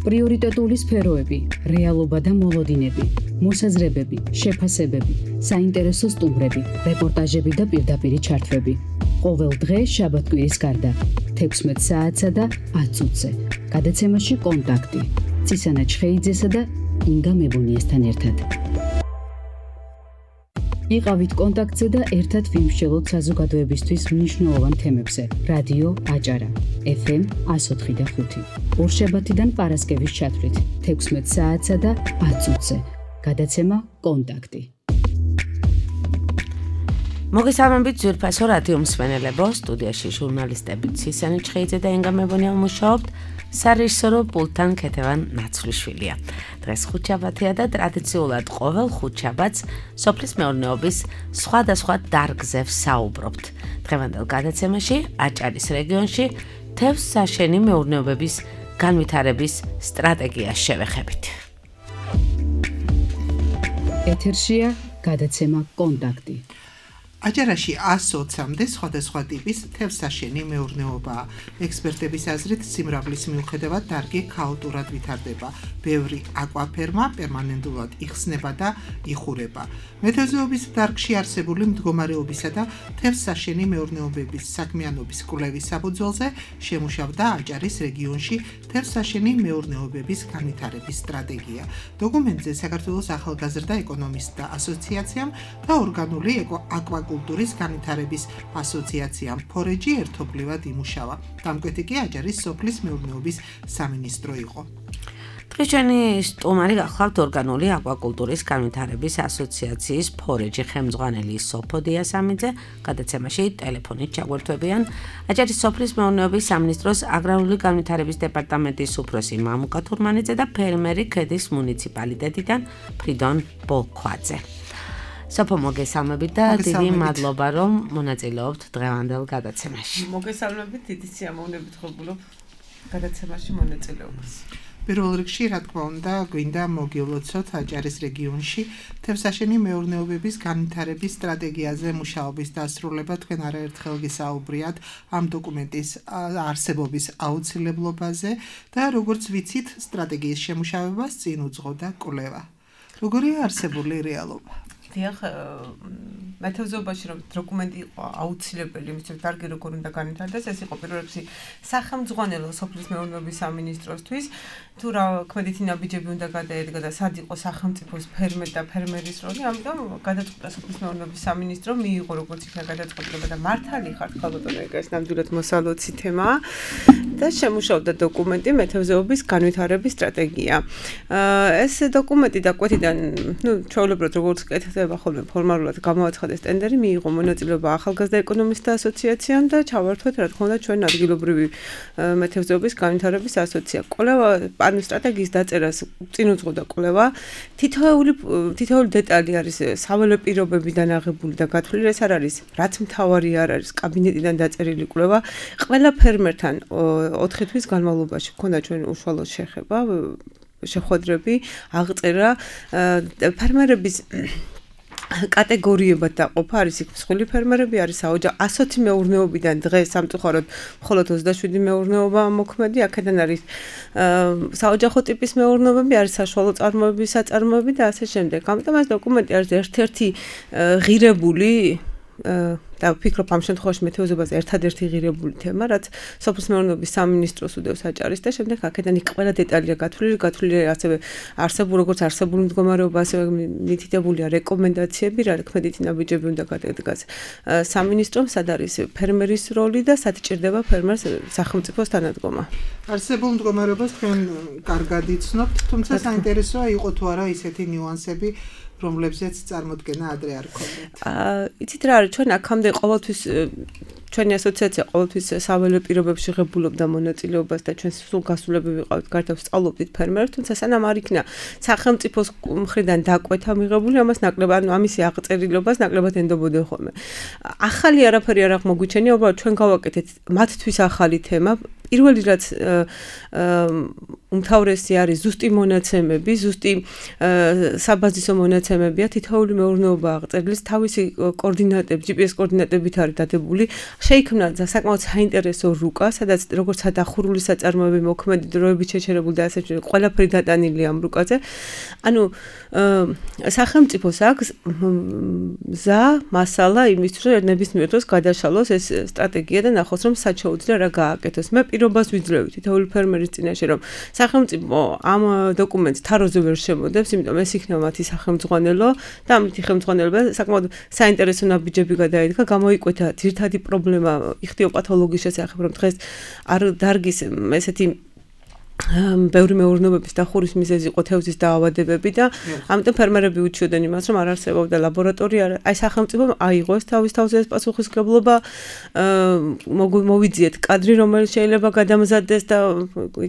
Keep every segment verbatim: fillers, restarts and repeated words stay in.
პრიორიტეტული სფეროები, რეალობა და მოლოდინები, მოსაზრებები, შეფასებები, საინტერესო სტუმრები, რეპორტაჟები და პირდაპირი ჩართვები. ყოველ დღე შაბათ-კვირის გარდა, თექვსმეტ საათსა და ათ წუთზე. გადაცემაში კონტაქტი. ცისანა ჩხეიძესა და ინგა მებონიესთან ერთად. იყავით კონტაქტზე და ერთად ვიმსჯელოთ საზოგადოებისთვის მნიშვნელოვან თემებზე. რადიო აჭარა, ეფ ემ εκατო ოთხი და ხუთი. ორშაბათიდან პარასკევის ჩათვლით, თექვსმეტ საათსა და ათ წუთზე. გადაცემა კონტაქტი. მოგესალმებით ძვირფასო რადიო მსმენელებო, სტუდიაში ჟურნალისტები ცისანა ჩხეიძე და ინგა მებონია მუშაობთ, სარეჟისორო პულტთან ქეთევან ნაცვლიშვილია. დღეს ხუთშაბათია და ტრადიციულად ყოველ ხუთშაბათს სოფლის მეურნეობის სხვადასხვა დარგზე ვსაუბრობთ. დღევანდელ გადაცემაში აჭარის რეგიონში თევზსაშენი მეურნეობების განვითარების სტრატეგიას შევეხებით. ეთერშია გადაცემა კონტაქტი. აჭარაში ასი ოცამდე სხვადასხვა ტიპის თევზსაშენი მეურნეობაა. ექსპერტების აზრით, სიმრავლის მიუხედავად დარგი ქაოტურად ვითარდება. ბევრი აკვაფერმა პერმანენტულად იხსნება და იხურება. მეთევზეობის დარგში არსებული მდგომარეობისა და თევზსაშენი მეურნეობების საქმიანობის კვლევის საფუძველზე შემუშავდა აჭარის რეგიონში თევზსაშენი მეურნეობების განვითარების სტრატეგია. დოკუმენტზე საქართველოს ახალგაზრდა ეკონომისტთა ასოციაციამ და ორგანული აკვაკულტურის განვითარების ასოციაციამ ფორეჯი ერთობლივად იმუშავა. დამკვეთი კი აჭარის სოფლის მეურნეობის სამინისტრო იყო. დღეს ჩვენი სტუმარი გახლავთ ორგანული აკვაკულტურის განვითარების ასოციაციის ფორეჯი ხელმძღვანელი სოფო დიასამიძე. გადაცემაში ტელეფონით ჩაგვერთვებიან აჭარის სოფლის მეურნეობის სამინისტროს აგრარული განვითარების დეპარტამენტის უფროსი მამუკა თურმანიძე და ფერმერი ქედის მუნიციპალიტეტიდან ფრიდონ ბოლქვაძე. სოფო მოგესალმებით და დიდი მადლობა რომ მონაწილეობთ დღევანდელ გადაცემაში. მოგესალმებით, დიდი სიამოვნებით ხობულობ გადაცემაში მონაწილეობას. პირველ რიგში, რა თქმა უნდა, გვინდა მოგილოცოთ აჭარის რეგიონში თევზსაშენი მეურნეობების განვითარების სტრატეგიაზე მუშაობის დასრულება. თქვენ არაერთხელ გისაუბრიათ ამ დოკუმენტის არსებობის აუცილებლობაზე და როგორც ვიცით, სტრატეგიის შემუშავებას წინ უძღოდა კვლევა. როგორია არსებული რეალობა? დიახ, მეთევზეობაში რომ დოკუმენტი იყო აუცილებელი, იმის რომ დარგი როგორ უნდა განვითარდეს, ეს იყო პირველ რიგში სახელმძღვანელო სოფლის მეურნეობის სამინისტროსთვის, თუ რა ქმედითი ნაბიჯები უნდა გადაედგა და სად იყო სახელმწიფოს ფერმერ და ფერმერის როლი, ამიტომ გადაწყვიტა სოფლის მეურნეობის სამინისტრო მიიღო როგორც იქნა გადაწყვეტილება და მართალი ხართ ხალბატონო, ეს ნამდვილად მოსალოცი თემაა და შემუშავდა დოკუმენტი მეთევზეობის განვითარების სტრატეგია. ეს დოკუმენტი დაკვეთიდან, ნუ ჩვეულებრივად როგორც კეთდება ხოლმე ფორმალურად გამოაცხადეს ტენდერი, მიიღო მონაწილეობა ახალგაზრდა ეკონომისტთა ასოციაციამ და ჩავართვეთ, რა თქმა უნდა, ჩვენ ადგილობრივი მეთევზეობის განვითარების ასოციაცია. კვლევა ანუ სტრატეგიის დაწერას წინ უძღოდა კვლევა. თითოეული თითოეული დეტალი არის საველე პირობებიდან აღებული და გათვლილი, ეს არ არის, რაც მთავარი არ არის, კაბინეტიდან დაწერილი კვლევა. ყველა ფერმერთან ოთხი თვის განმავლობაში ჰქონდა ჩვენ უშუალო შეხება, შეხვედრები, აღწერა ფერმერების კატეგორიებად დაყოფა, არის იქ მსხვილი ფერმერები, არის საოჯახო ასოთი მეურნეობიდან დღეს სამწუხაროდ მხოლოდ ოცდაშვიდი მეურნეობა მოქმედი, აქედან არის საოჯახო ტიპის მეურნეობები, არის საშუალო წარმოების საწარმოები და ასე შემდეგ. ამიტომ ეს დოკუმენტი არის ერთ-ერთი ღირებული და ვფიქრობ ამ შემთხვევაში მეთევზეობაზე ერთადერთი ღირებული თემა, რაც სოფლის მეურნეობის სამინისტროს უდევს აჭარის და შემდეგ აქედან იქ ყველა დეტალია გათვლილი, გათვლილი ასევე არსებულ როგორც არსებული მდგომარეობა, ასევე მითითებულია რეკომენდაციები, რა ქმედითი ნაბიჯები უნდა გადადგას სამინისტრომ, სად არის ფერმერის როლი და სად ჭირდება ფერმერს სახელმწიფოს თანადგომა. არსებულ მდგომარეობას თქვენ კარგად იცნობთ, თუმცა საინტერესოა იყო თუ არა ისეთი ნიუანსები, რომლებზეც წარმოდგენა ადრე არ ქონდათ. აა, იცით რა არის, ჩვენ აქამდე ყოველთვის ჩვენი ასოციაცია ყოველთვის საველე პირობებში ღებულობდა მონაწილეობას და ჩვენ სულ გასულები ვიყავით, გარდა ვსწავლობდით ფერმერებს, თუმცა სანამ არ იქნა სახელმწიფოს მხრიდან დაკვეთა მიღებული, ამას ნაკლებად, ანუ ამისი აღწერილობას ნაკლებად ენდობოდნენ ხოლმე. ახალი არაფერი არ აღმოგვიჩენია, უბრალოდ ჩვენ გავაკეთეთ მათთვის ახალი თემა. პირველი რაც უმთავრესი არის ზუსტი მონაცემები, ზუსტი საბაზისო მონაცემებია, თითოეული მეურნეობა აღწერილს თავისი კოორდინატები, ჯი პი ეს კოორდინატებით არის დადებული. შეიქმნა საკმაოდ საინტერესო რუკა, სადაც როგორც დახურული საწარმოები მოქმედი დროებით შეჩერებული და ასე შემდეგ ყველაფერი დატანილი ამ რუკაზე. ანუ სახელმწიფოს აქვს მზა, მასალა იმისთვის, რომ ნებისმიერ დროს გადაშალოს ეს სტრატეგია და ნახოს, რომ სად შეუძლია რა გააკეთოს. მე პირობას ვიძლევი თითოეული ფერმერის წინაშე, რომ სახელმწიფო ამ დოკუმენტს თაროზე ვერ შემოდებს, იმიტომ ეს იქნება მათი სახელმძღვანელო და ამით ხელმძღვანელობა საკმაოდ საინტერესო ნაბიჯები გადაედგა, გამოიკვეთა ძირითადი პრობლემა იხთიოპათოლოგიის შესახებ, რომ დღეს არ დარგის ესეთი ბევრი მეურნეობების დახურის მიზეზი იყო თევზის დაავადებები და ამიტომ ფერმერები უჩიოდნენ იმას, რომ არ არსებობდა ლაბორატორია, აი სახელმწიფომ აიღოს თავის თავზე ეს პასუხისმგებლობა, მოვიძიეთ კადრი, რომელიც შეიძლება გადამზადდეს და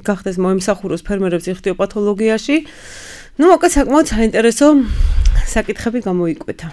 გახდეს მოემსახუროს ფერმერებს იხთიოპათოლოგიაში. ნუ მოკლედ საკმაოდ საინტერესო საკითხები გამოიკვეთა.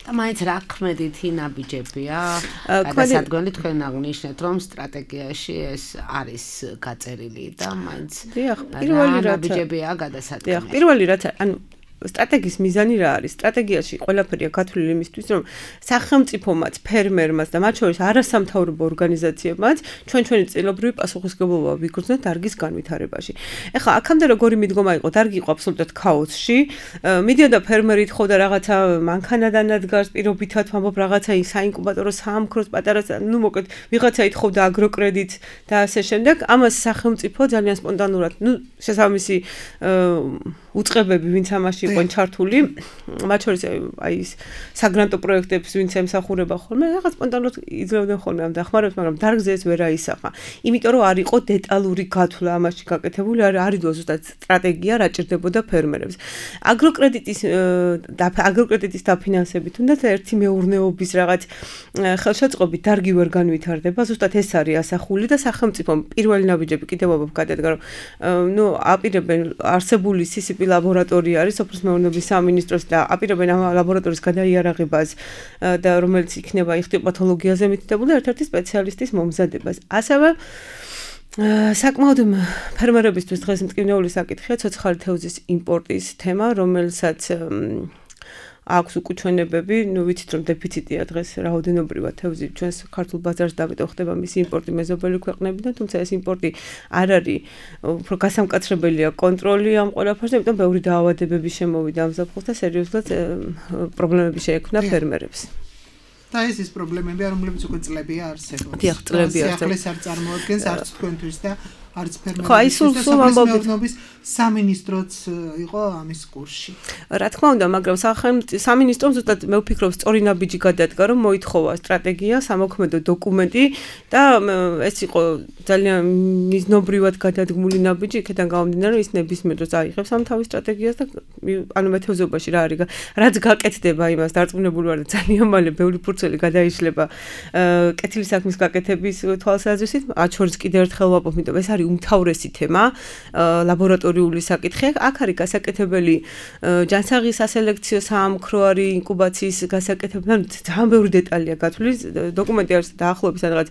და მაინც რა ქმედით ნაბიჯებია? გადასადგმელი თქვენ აღნიშნეთ, რომ სტრატეგიაში ეს არის გაწერილი და მაინც პირველი რაც ნაბიჯებია გადასადგმელი. დიახ, პირველი რაც ანუ სტრატეგიის მიზანი რა არის? სტრატეგიაში ყველაფერია გათვლილი იმისთვის, რომ სახელმწიფომაც, ფერმერმაც და მათ შორის არასამთავრობო ორგანიზაციებმაც ჩვენ ჩვენი წელობრივი პასუხისმგებლობა ვიგრძნოთ დარგის განვითარებაში. ეხლა აქამდე როგორი მიდგომა იყო? დარგი იყო აბსოლუტურად ქაოსში. მიდიოდა ფერმერი ეთხოვდა რაღაცა მანქანადან ადგარს, პირობითად ვამბობ რაღაცა საინკუბატორო საამქროს პატარა, ნუ მოკლედ ვიღაცა ეთხოვდა აგროკრედიტს და ასე შემდეგ. ამას სახელმწიფო ძალიან სპონტანურად, ნუ შესაბამისი უწყებები, ვინც ამაში იყვნენ ჩართული, მათ შორის აი ეს საგრანტო პროექტებს, ვინც ემსახურება ხოლმე, რაღაც სპონტანურად იძლევდნენ ხოლმე ამ დახმარებას, მაგრამ დარგზე ეს ვერ აისახა. იმიტომ რომ არ იყო დეტალური გათვლა ამაში გაკეთებული, არ არიდო ზუსტად სტრატეგია რა ჭირდებოდა ფერმერებს. აგროკრედიტის აგროკრედიტის დაფინანსებით თუნდაც ერთი მეურნეობის რაღაც ხელშეწყობით დარგი ვერ განვითარდება, ზუსტად ეს არის ასახული და სახელმწიფომ პირველი ნაბიჯები კიდევ აბა გადადგა, რომ ნუ აპირებენ არსებული სი სი პი ლაბორატორია არის სოფლის მეურნეობის სამინისტროს და აპირებენ ამ ლაბორატორიის გადაიარაღებას და რომელიც იქნება იხთიოპათოლოგიაზე მითითებული ერთ-ერთი სპეციალისტის მომზადებას. ასევე საკმაოდ ფერმერებისთვის დღეს მტკივნეული საკითხია ცოცხალი თევზის იმპორტის თემა, რომელსაც აქვს უკუჩვენებები, ნუ ვიცით რომ დეფიციტია დღეს რაოდენობრივად თევზი ჩვენს ქართულ ბაზარს და ამიტომ ხდება მისი იმპორტი მეზობელი ქვეყნებიდან, თუმცა ეს იმპორტი არ არის უფრო გასამკაცრებელია კონტროლი ამ ყველაფერზე, ამიტომ ბევრი დაავადებები შემოვიდა ამ ზაფხულს და სერიოზულად პრობლემები შეექმნა ფერმერებს. და ეს ის პრობლემებია, რომლებიც უკვე წლებია არსებობს. დიახ, წლებია არსებობს. ახლა ეს არ წარმოადგენს არც თქვენთვის და არც ფერმერების ხო, აი სულ სულ ამბობთ სამინისტროც იყო ამის კურსში. რა თქმა უნდა, მაგრამ სამინისტრომ ზუსტად მე ვფიქრობ სწორი ნაბიჯი გადადგა, რომ მოითხოვა სტრატეგია, სამოქმედო დოკუმენტი და ეს იყო ძალიან მიზნობრივად გადადგმული ნაბიჯი, იქიდან გამომდინარე, რომ ის ნებისმიერ დროს აიღებს ამ თავის სტრატეგიას და ანუ მეთევზეობაში რა არის, რაც გაკეთდება იმას დარწმუნებული ვარ და ძალიან მალე ბევრი ფურცელი გადაიშლება კეთილი საქმის გაკეთების თვალსაზრისით, მათ შორის კიდევ ერთხელ ვაპობ, იმიტომ ეს არის უმთავრესი თემა, ლაბორატორიული საკითხი. აქ არის გასაკეთებელი ჯანსაღის სასელექციო საამქრო არის ინკუბაციის გასაკეთებელი, ძალიან ბევრი დეტალია გათვლილი, დოკუმენტი არის დაახლოებით რაღაც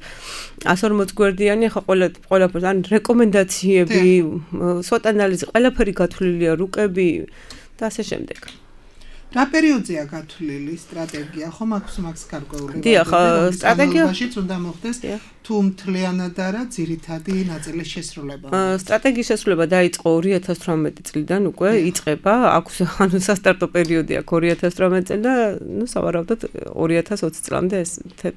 εκατს ორმოც გვერდიანი, ახლა ყველა ყველაფერს ან რეკომენდაციები, სვოტ ანალიზი, ყველაფერი გათვლილია, რუკები და ასე შემდეგ. რა პერიოდზეა გათვლილი სტრატეგია? ხო მაქვს მაქვს გარკვეული. დიახ, სტრატეგიაშიც უნდა მოხდეს თუ მთლიანად არა ძირითადი ნაწილის შესრულება. სტრატეგიის შესრულება დაიწყო ორი ათას თვრამეტი წლიდან უკვე იწყება, აქვს ანუ სასტარტო პერიოდი აქვს ორი ათას თვრამეტი წელი და ნუ სავარაუდოდ ორი ათას ოცი წლამდე ეს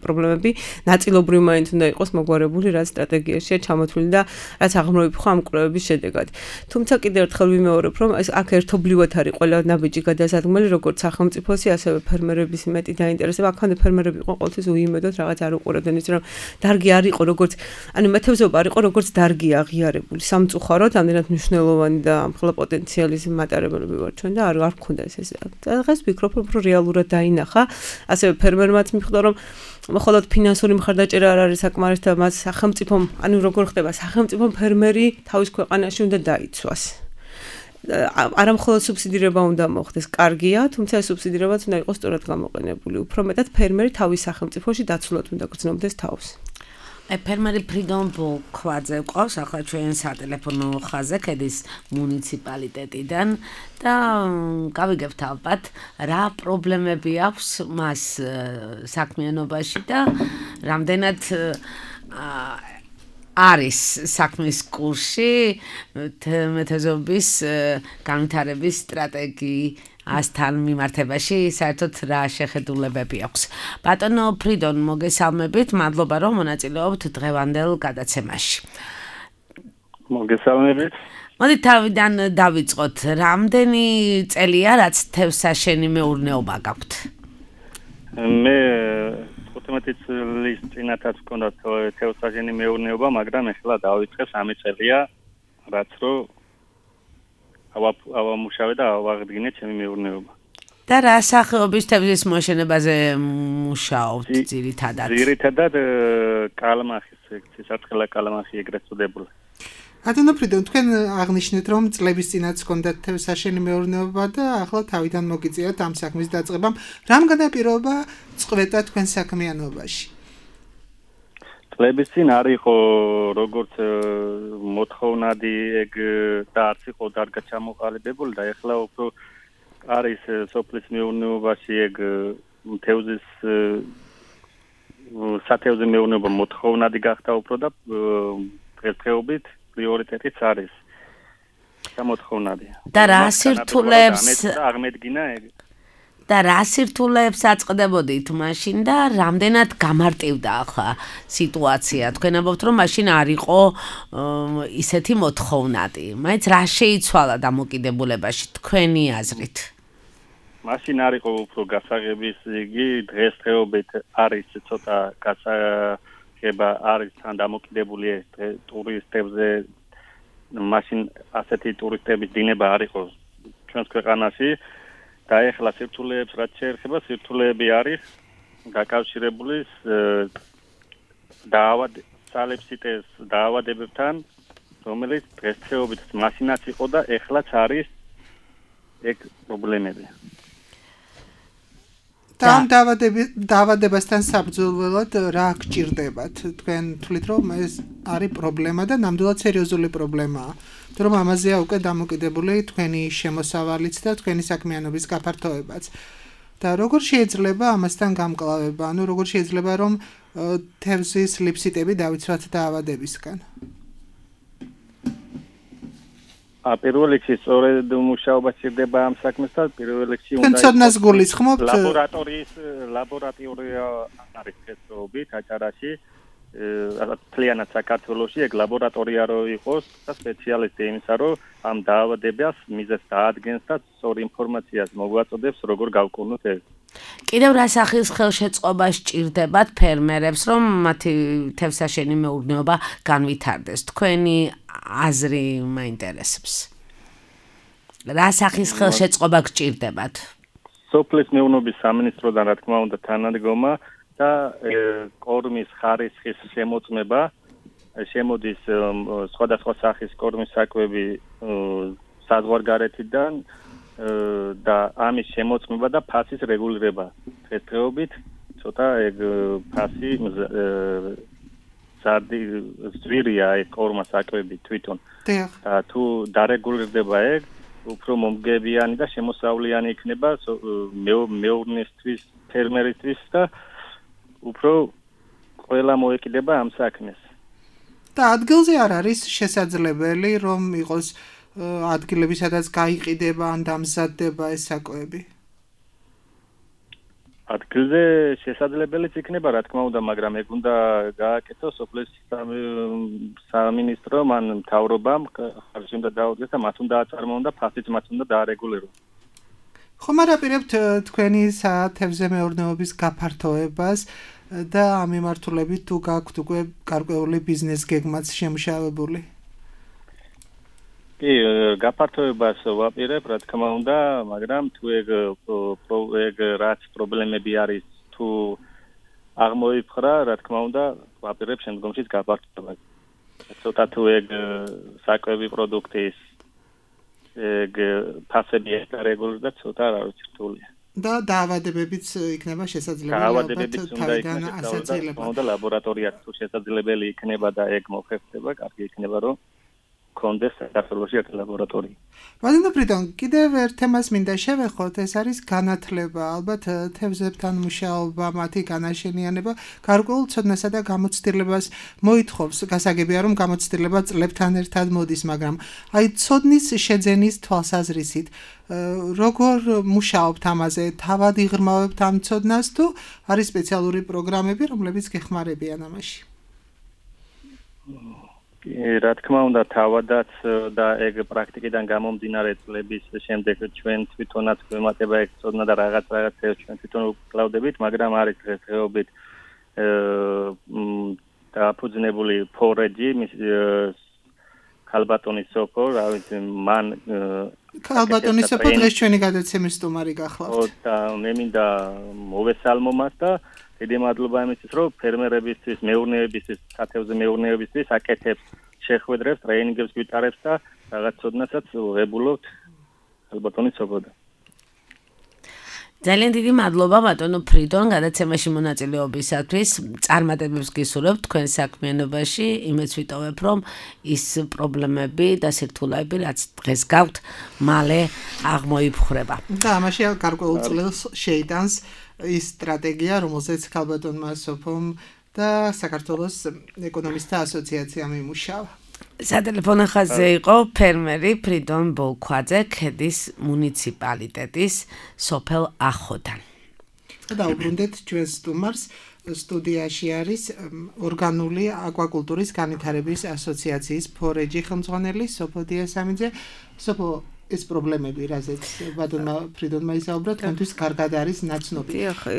პრობლემები ნაწილობრივ მაინც უნდა იყოს მოგვარებული, რაც სტრატეგიაშია ჩამოთვლილი და რაც აღმოიფხო ამ კვლევების შედეგად. თუმცა კიდევ ერთხელ ვიმეორებ, რომ ეს აქ ერთობლივად არის ყველა ნაბიჯი გადასადგმელი, როგორც სახელმწიფოსი, ასევე ფერმერების მეტი დაინტერესება. აქამდე ფერმერები იყო ყოველთვის უიმედოდ რაღაც არ უყურებდნენ ის რომ დარგი არ იყო როგორც ანუ მეთევზეობა არ იყო როგორც დარგი აღიარებული სამწუხაროდ ამდენად მნიშვნელოვანი და ამხელა პოტენციალის მატარებლები ვარ ჩვენ და არ არ მქონდა ეს ეს დღეს ვფიქრობ რომ რეალურად დაინახა ასევე ფერმერმაც მიხვდა რომ მხოლოდ ფინანსური მხარდაჭერა არ არის საკმარისი და მას სახელმწიფომ ანუ როგორ ხდება სახელმწიფომ ფერმერი თავის ქვეყანაში უნდა დაიცვას არა მხოლოდ სუბსიდირება უნდა მოხდეს, კარგია, თუმცა ეს სუბსიდირებაც უნდა იყოს სწორად გამოყენებული. უფრო მეტად ფერმერი თავის სახელმწიფოში დაცულად უნდა გრძნობდეს თავს. ფერმერი ფრიდონ ბოლქვაძე ყავს ახლა ჩვენ სატელეფონო ხაზზე ქედის მუნიციპალიტეტიდან და გავიგებთ ალბათ რა პრობლემები აქვს მას საქმიანობაში და რამდენად არის საქმის კურსი მეთევზეობის განვითარების სტრატეგიასთან მიმართებაში საერთოდ რა შეხედულებები აქვს. ბატონო ფრიდონ, მოგესალმებით, მადლობა რომ მონაწილეობთ დღევანდელ გადაცემაში. მოგესალმებით. მოდი თავიდან დავიწყოთ. რამდენი წელია რაც თევზსაშენი მეურნეობა გაქვთ? მე თხუთმეტი წლის წინათაც მქონდა თევზსაშენი მეურნეობა, მაგრამ ახლა დავიწყე სამი წელია, რაც რო ავამუშავე და ავაღდგინე ჩემი მეურნეობა. და რა სახეობის თევზის მოშენებაზე მუშაობთ ძირითადად? ძირითადად კალმახის სისაწყლე კალმახი ეგრეთ წოდებული. ბატონო ფრიდონ, თქვენ აღნიშნეთ, რომ წლების წინათ გქონდათ თევზსაშენი მეურნეობა და ახლა თავიდან მოგიწიათ ამ საქმის დაწყებამ. რამ განაპირობა წყვეტა თქვენ საქმიანობაში? წლების წინ არ იყო როგორც მოთხოვნადი ეგ და არც იყო დარგად ჩამოყალიბებული და ახლა უფრო არის სოფლის მეურნეობაში ეგ თევზის სათევზო მეურნეობა მოთხოვნადი გახდა უფრო და დღესდღეობით პრიორიტეტიც არის გამოთხოვნადი. და რა სირთულეებს აღმედგინა ეგ და რა სირთულეებს აწყდებოდით მაშინ და რამდენად გამარტივდა ახლა სიტუაცია? თქვენ ამბობთ რომ მაშინ არ იყო ისეთი მოთხოვნადი. მაინც რა შეიცვალა დამოკიდებულებაში თქვენი აზრით? მაშინ არ იყო უფრო გასაღების იგი დღესდღეობით არის ცოტა გასაღება არის თან დამოკიდებული ტურისტებზე მაშინ ასეთი ტურისტების დინება არ იყო ჩვენს ქვეყანაში და ეხლა სირთულეებს რაც შეეხება სირთულეები არის დაკავშირებული დაავად სალეფსიტეს დაავადებებთან რომელიც დღესდღეობით მაშინაც იყო და ეხლაც არის ეგ პრობლემები. ამ დაავადებასთან საბრძოლველად რა გჭირდებათ? თქვენ თვლით რომ ეს არის პრობლემა და ნამდვილად სერიოზული პრობლემაა. თუ რომ ამაზეა უკვე დამოკიდებული თქვენი შემოსავალიც და თქვენი საქმიანობის გაფართოებაც. და როგორ შეიძლება ამასთან გამკლავება? ანუ როგორ შეიძლება რომ თევზის ლიფსიტები დავიცვათ დაავადებისგან? პირველ რიგში სწორედ მუშაობა სჭირდება ამ საქმესთან, პირველ რიგში უნდა ცოდნას გულისხმობთ ლაბორატორიის ლაბორატორია არის დღესდღეობით აჭარაში, მთლიანად საქართველოში ეგ ლაბორატორია რო იყოს და სპეციალისტი იმისა რომ ამ დაავადებას მიზეზს დაადგენს და სწორ ინფორმაციას მოგვაწოდებს როგორ გავკურნოთ ეს. კიდევ რა სახის ხელშეწყობა სჭირდებათ ფერმერებს რომ მათი თევზსაშენი მეურნეობა განვითარდეს? თქვენი აზრი მაინტერესებს. რა სახის ხელშეწყობა გჭირდებათ? სოფლის მეურნეობის სამინისტროდან რა თქმა უნდა თანადგომა და კორმის ხარისხის შემოწმება შემოდის სხვადასხვა სახის კორმის საკვები საზღვარგარეთიდან და ამის შემოწმება და ფასის რეგულირება. დღესდღეობით ცოტა ეგ ფასი ზარდი ზვირია ეგ კორმა საკვები თვითონ. და თუ დარეგულირდება ეგ უფრო მომგებიანი და შემოსავლიანი იქნება მეურნესთვის, ფერმერისთვის და უფრო ყველა მოეკიდება ამ საქმეს. და ადგილზე არ არის შესაძლებელი რომ იყოს ადგილები სადაც გაიყიდება ან დამზადდება ეს საკვები? ადგილზე შესაძლებელიც იქნება რა თქმა უნდა, მაგრამ ეგ უნდა გააკეთოს სოფლის სამინისტრო ან მთავრობამ ხარჯი უნდა დაუდგეს და მათ უნდა აწარმოონ და ფასიც მათ უნდა დაარეგულიროს. ხომ არ აპირებთ თქვენი სათევზო მეურნეობის გაფართოებას და ამ მიმართულებით თუ გაქვთ უკვე გარკვეული ბიზნეს გეგმაც შემუშავებული? კი, გაფართოებას ვაპირებ, რა თქმა უნდა, მაგრამ თუ ეგ ეგ რაც პრობლემები არის, თუ აღმოიფხრა, რა თქმა უნდა, ვაპირებ შემდგომშიც გაფართოებას. ცოტა თუ ეგ საკვები პროდუქტის ეგ ფასები ეკარეგულირდა, ცოტა რა ვიცი რთულია. და დაავადებებიც იქნება შესაძლებელი ალბათ თავიდან ასაცილებლად. და ლაბორატორიაც თუ შესაძლებელი იქნება და ეგ მოხერხდება, კარგი იქნება რომ კონდეს საქართველოში აქ ლაბორატორია. ვადიმ ფრიდონ, კიდევ ერთ თემას მინდა შევეხოთ, ეს არის განათლება, ალბათ თევზებთან მუშაობა, მათი განაშენიანება, გარკვეულ ცოდნასა და გამოცდილებას მოითხოვს. გასაგებია რომ გამოცდილება წლებთან ერთად მოდის, მაგრამ აი ცოდნის შეძენის თვალსაზრისით როგორ მუშაობთ ამაზე, თავად იღრმავებთ ამ ცოდნას თუ არის სპეციალური პროგრამები, რომლებიც გეხმარებიან ამაში? რა თქმა უნდა, თავადაც და ეგ პრაქტიკიდან გამომდინარე წლების შემდეგ ჩვენ თვითონაც გვემატება ეგ ცოდნა და რაღაც რაღაცებს ჩვენ თვითონ ვკლავდებით, მაგრამ არის დღესდღეობით დაფუძნებული ფორეჯი ქალბატონის სოფო, რა ვიცი, მან ქალბატონის სოფო დღეს ჩვენი გადაცემის სტუმარი გახლავთ. ო და მე მინდა მოვესალმო მას და დიდი მადლობა იმისთვის, რომ ფერმერებისთვის, მეურნეობისთვის, სათევზე მეურნეობისთვის აკეთებს შეხვედრებს, ტრეინინგებს გვიტარებს და რაღაც ცოდნასაც ვღებულობთ ქალბატონის სოფოდან. ძალიან დიდი მადლობა ბატონო ფრიდონ გადაცემაში მონაწილეობისათვის. წარმატებებს გისურვებთ თქვენ საქმიანობაში. იმეც ვიტოვებ, რომ ის პრობლემები და სირთულეები, რაც დღეს გაქვთ, მალე აღმოიფხვრება. და ამაში გარკვეულ წლებს შეიტანს ის სტრატეგია, რომელზეც ქალბატონმა სოფომ და საქართველოს ეკონომისტთა ასოციაციამ იმუშავა. სატელეფონო ხაზზე იყო ფერმერი ფრიდონ ბოლქვაძე, ქედის მუნიციპალიტეტის სოფელ ახოდან. და უბრუნდეთ ჩვენ სტუმარს, სტუდიაში არის ორგანული აკვაკულტურის განვითარების ასოციაციის ფორეჯი ხელმძღვანელი სოფო დიასამიძე. სოფო ეს პრობლემები, რაზეც ბატონმა ფრიდონმა ისაუბრა, თქვენთვის კარგად არის ნაცნობი.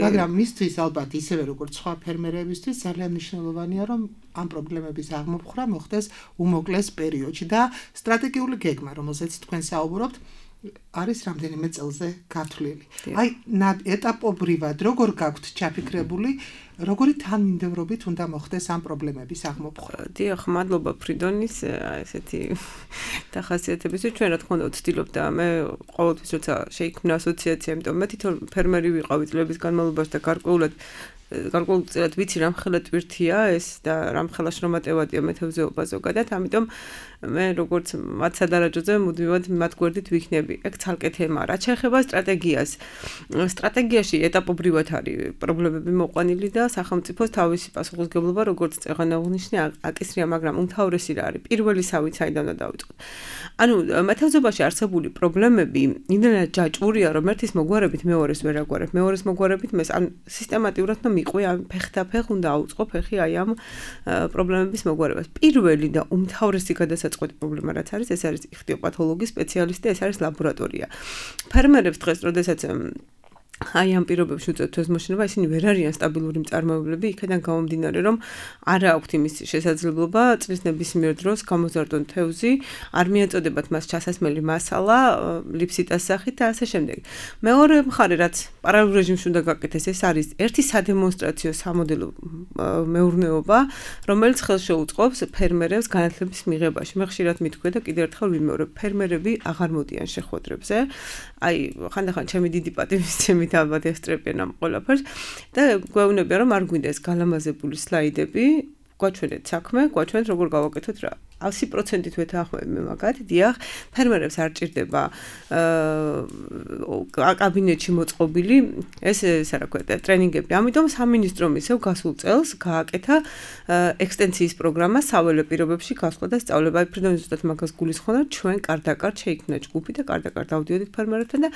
მაგრამ მისთვის ალბათ ისევე როგორც სხვა ფერმერებისთვის ძალიან მნიშვნელოვანია, რომ ამ პრობლემების აღმოფხვრა მოხდეს უმოკლეს პერიოდში და სტრატეგიული გეგმა, რომელზეც თქვენ საუბრობთ, არის რამდენიმე წელზე გათვლილი. აი, ეტაპობრივად როგორ გაქვთ ჩაფიქრებული, როგორი თანმიმდევრობით უნდა მოხდეს ამ პრობლემების აღმოფხვრა? დიახ, მადლობა ფრიდონის ესეთი დახასიათებისთვის. ჩვენ რა თქმა უნდა ვცდილობ და მე ყოველთვის როცა შეიქმნა ასოციაცია, იმიტომ მე თვითონ ფერმერი ვიყავი წლების განმავლობაში და გარკვეულად გარკვეულწილად ვიცი რამხელა ტვირთია ეს და რამხელა შრომატევადია მეთევზეობა ზოგადად, ამიტომ მე როგორც მათ სადარაჯოზე მუდმივად მათ გვერდით ვიქნები. ეგ ცალკე თემაა. რაც შეეხება სტრატეგიას. სტრატეგიაში ეტაპობრივად არის პრობლემები მოყვანილი და სახელმწიფოს თავისი პასუხისმგებლობა, როგორც წეღან აღნიშნე, აკისრია, მაგრამ უმთავრესი რა არის? პირველი სავით საიდან უნდა დავიწყოთ. ანუ მეთევზეობაში არსებული პრობლემები იმდენად ჯაჭვურია, რომ ერთის მოგვარებით მეორეს ვერ აგვარებ, მეორეს მოგვარებით მეს ან სისტემატურად და მიყვი ამ ფეხთაფეხ უნდა აუწყო ფეხი აი ამ პრობლემების მოგვარებას. პირველი და უმთავრესი გადასაწყვეტი პრობლემა რაც არის, ეს არის იხტიოპათოლოგიის სპეციალისტი, ეს არის ლაბორატორია. ფერმერებს დღეს, როდესაც აი ამ პირობებში უწევთ თევზმოშენება, ისინი ვერ არიან სტაბილური მწარმოებლები, იქიდან გამომდინარე, რომ არ აქვთ იმის შესაძლებლობა წლის ნებისმიერ დროს გამოზარდონ თევზი, არ მიეწოდებათ მას ჩასასმელი მასალა, ლიფსიტას სახით და ასე შემდეგ. მეორე მხარე, რაც პარალელურ რეჟიმში უნდა გაკეთდეს, ეს არის ერთი სადემონსტრაციო სამოდელო მეურნეობა, რომელიც ხელს შეუწყობს ფერმერებს განათლების მიღებაში. მე ხშირად მithქვია და კიდევ ერთხელ ვიმეორებ, ფერმერები აღარ მოდიან შეხვედრებზე. აი, ხანდახან ჩემი დიდი პატივისცემით ალბათ ესწრებიან ამ ყველაფერს და გვეუბნებიან, რომ არ გვინდა ეს გალამაზებული სლაიდები, გვაჩვენეთ საქმე, გვაჩვენეთ როგორ გავაკეთოთ რა. ასი პროცენტით ვეთანხმები მე მაგათ, დიახ, ფერმერებს არ ჭირდება აა კაბინეტში მოწყობილი ეს ესე რა ქვია, ტრენინგები. ამიტომ სამინისტრომ ისევ გასულ წელს გააკეთა ექსტენსიის პროგრამა საველე პირობებში გასვლა და სწავლება. აი ფრიდონი ზუსტად მაგას გულისხმობდა, ჩვენ კარდაკარდ შეიქმნა ჯგუფი და კარდაკარდ დავდიოდით ფერმერებთან და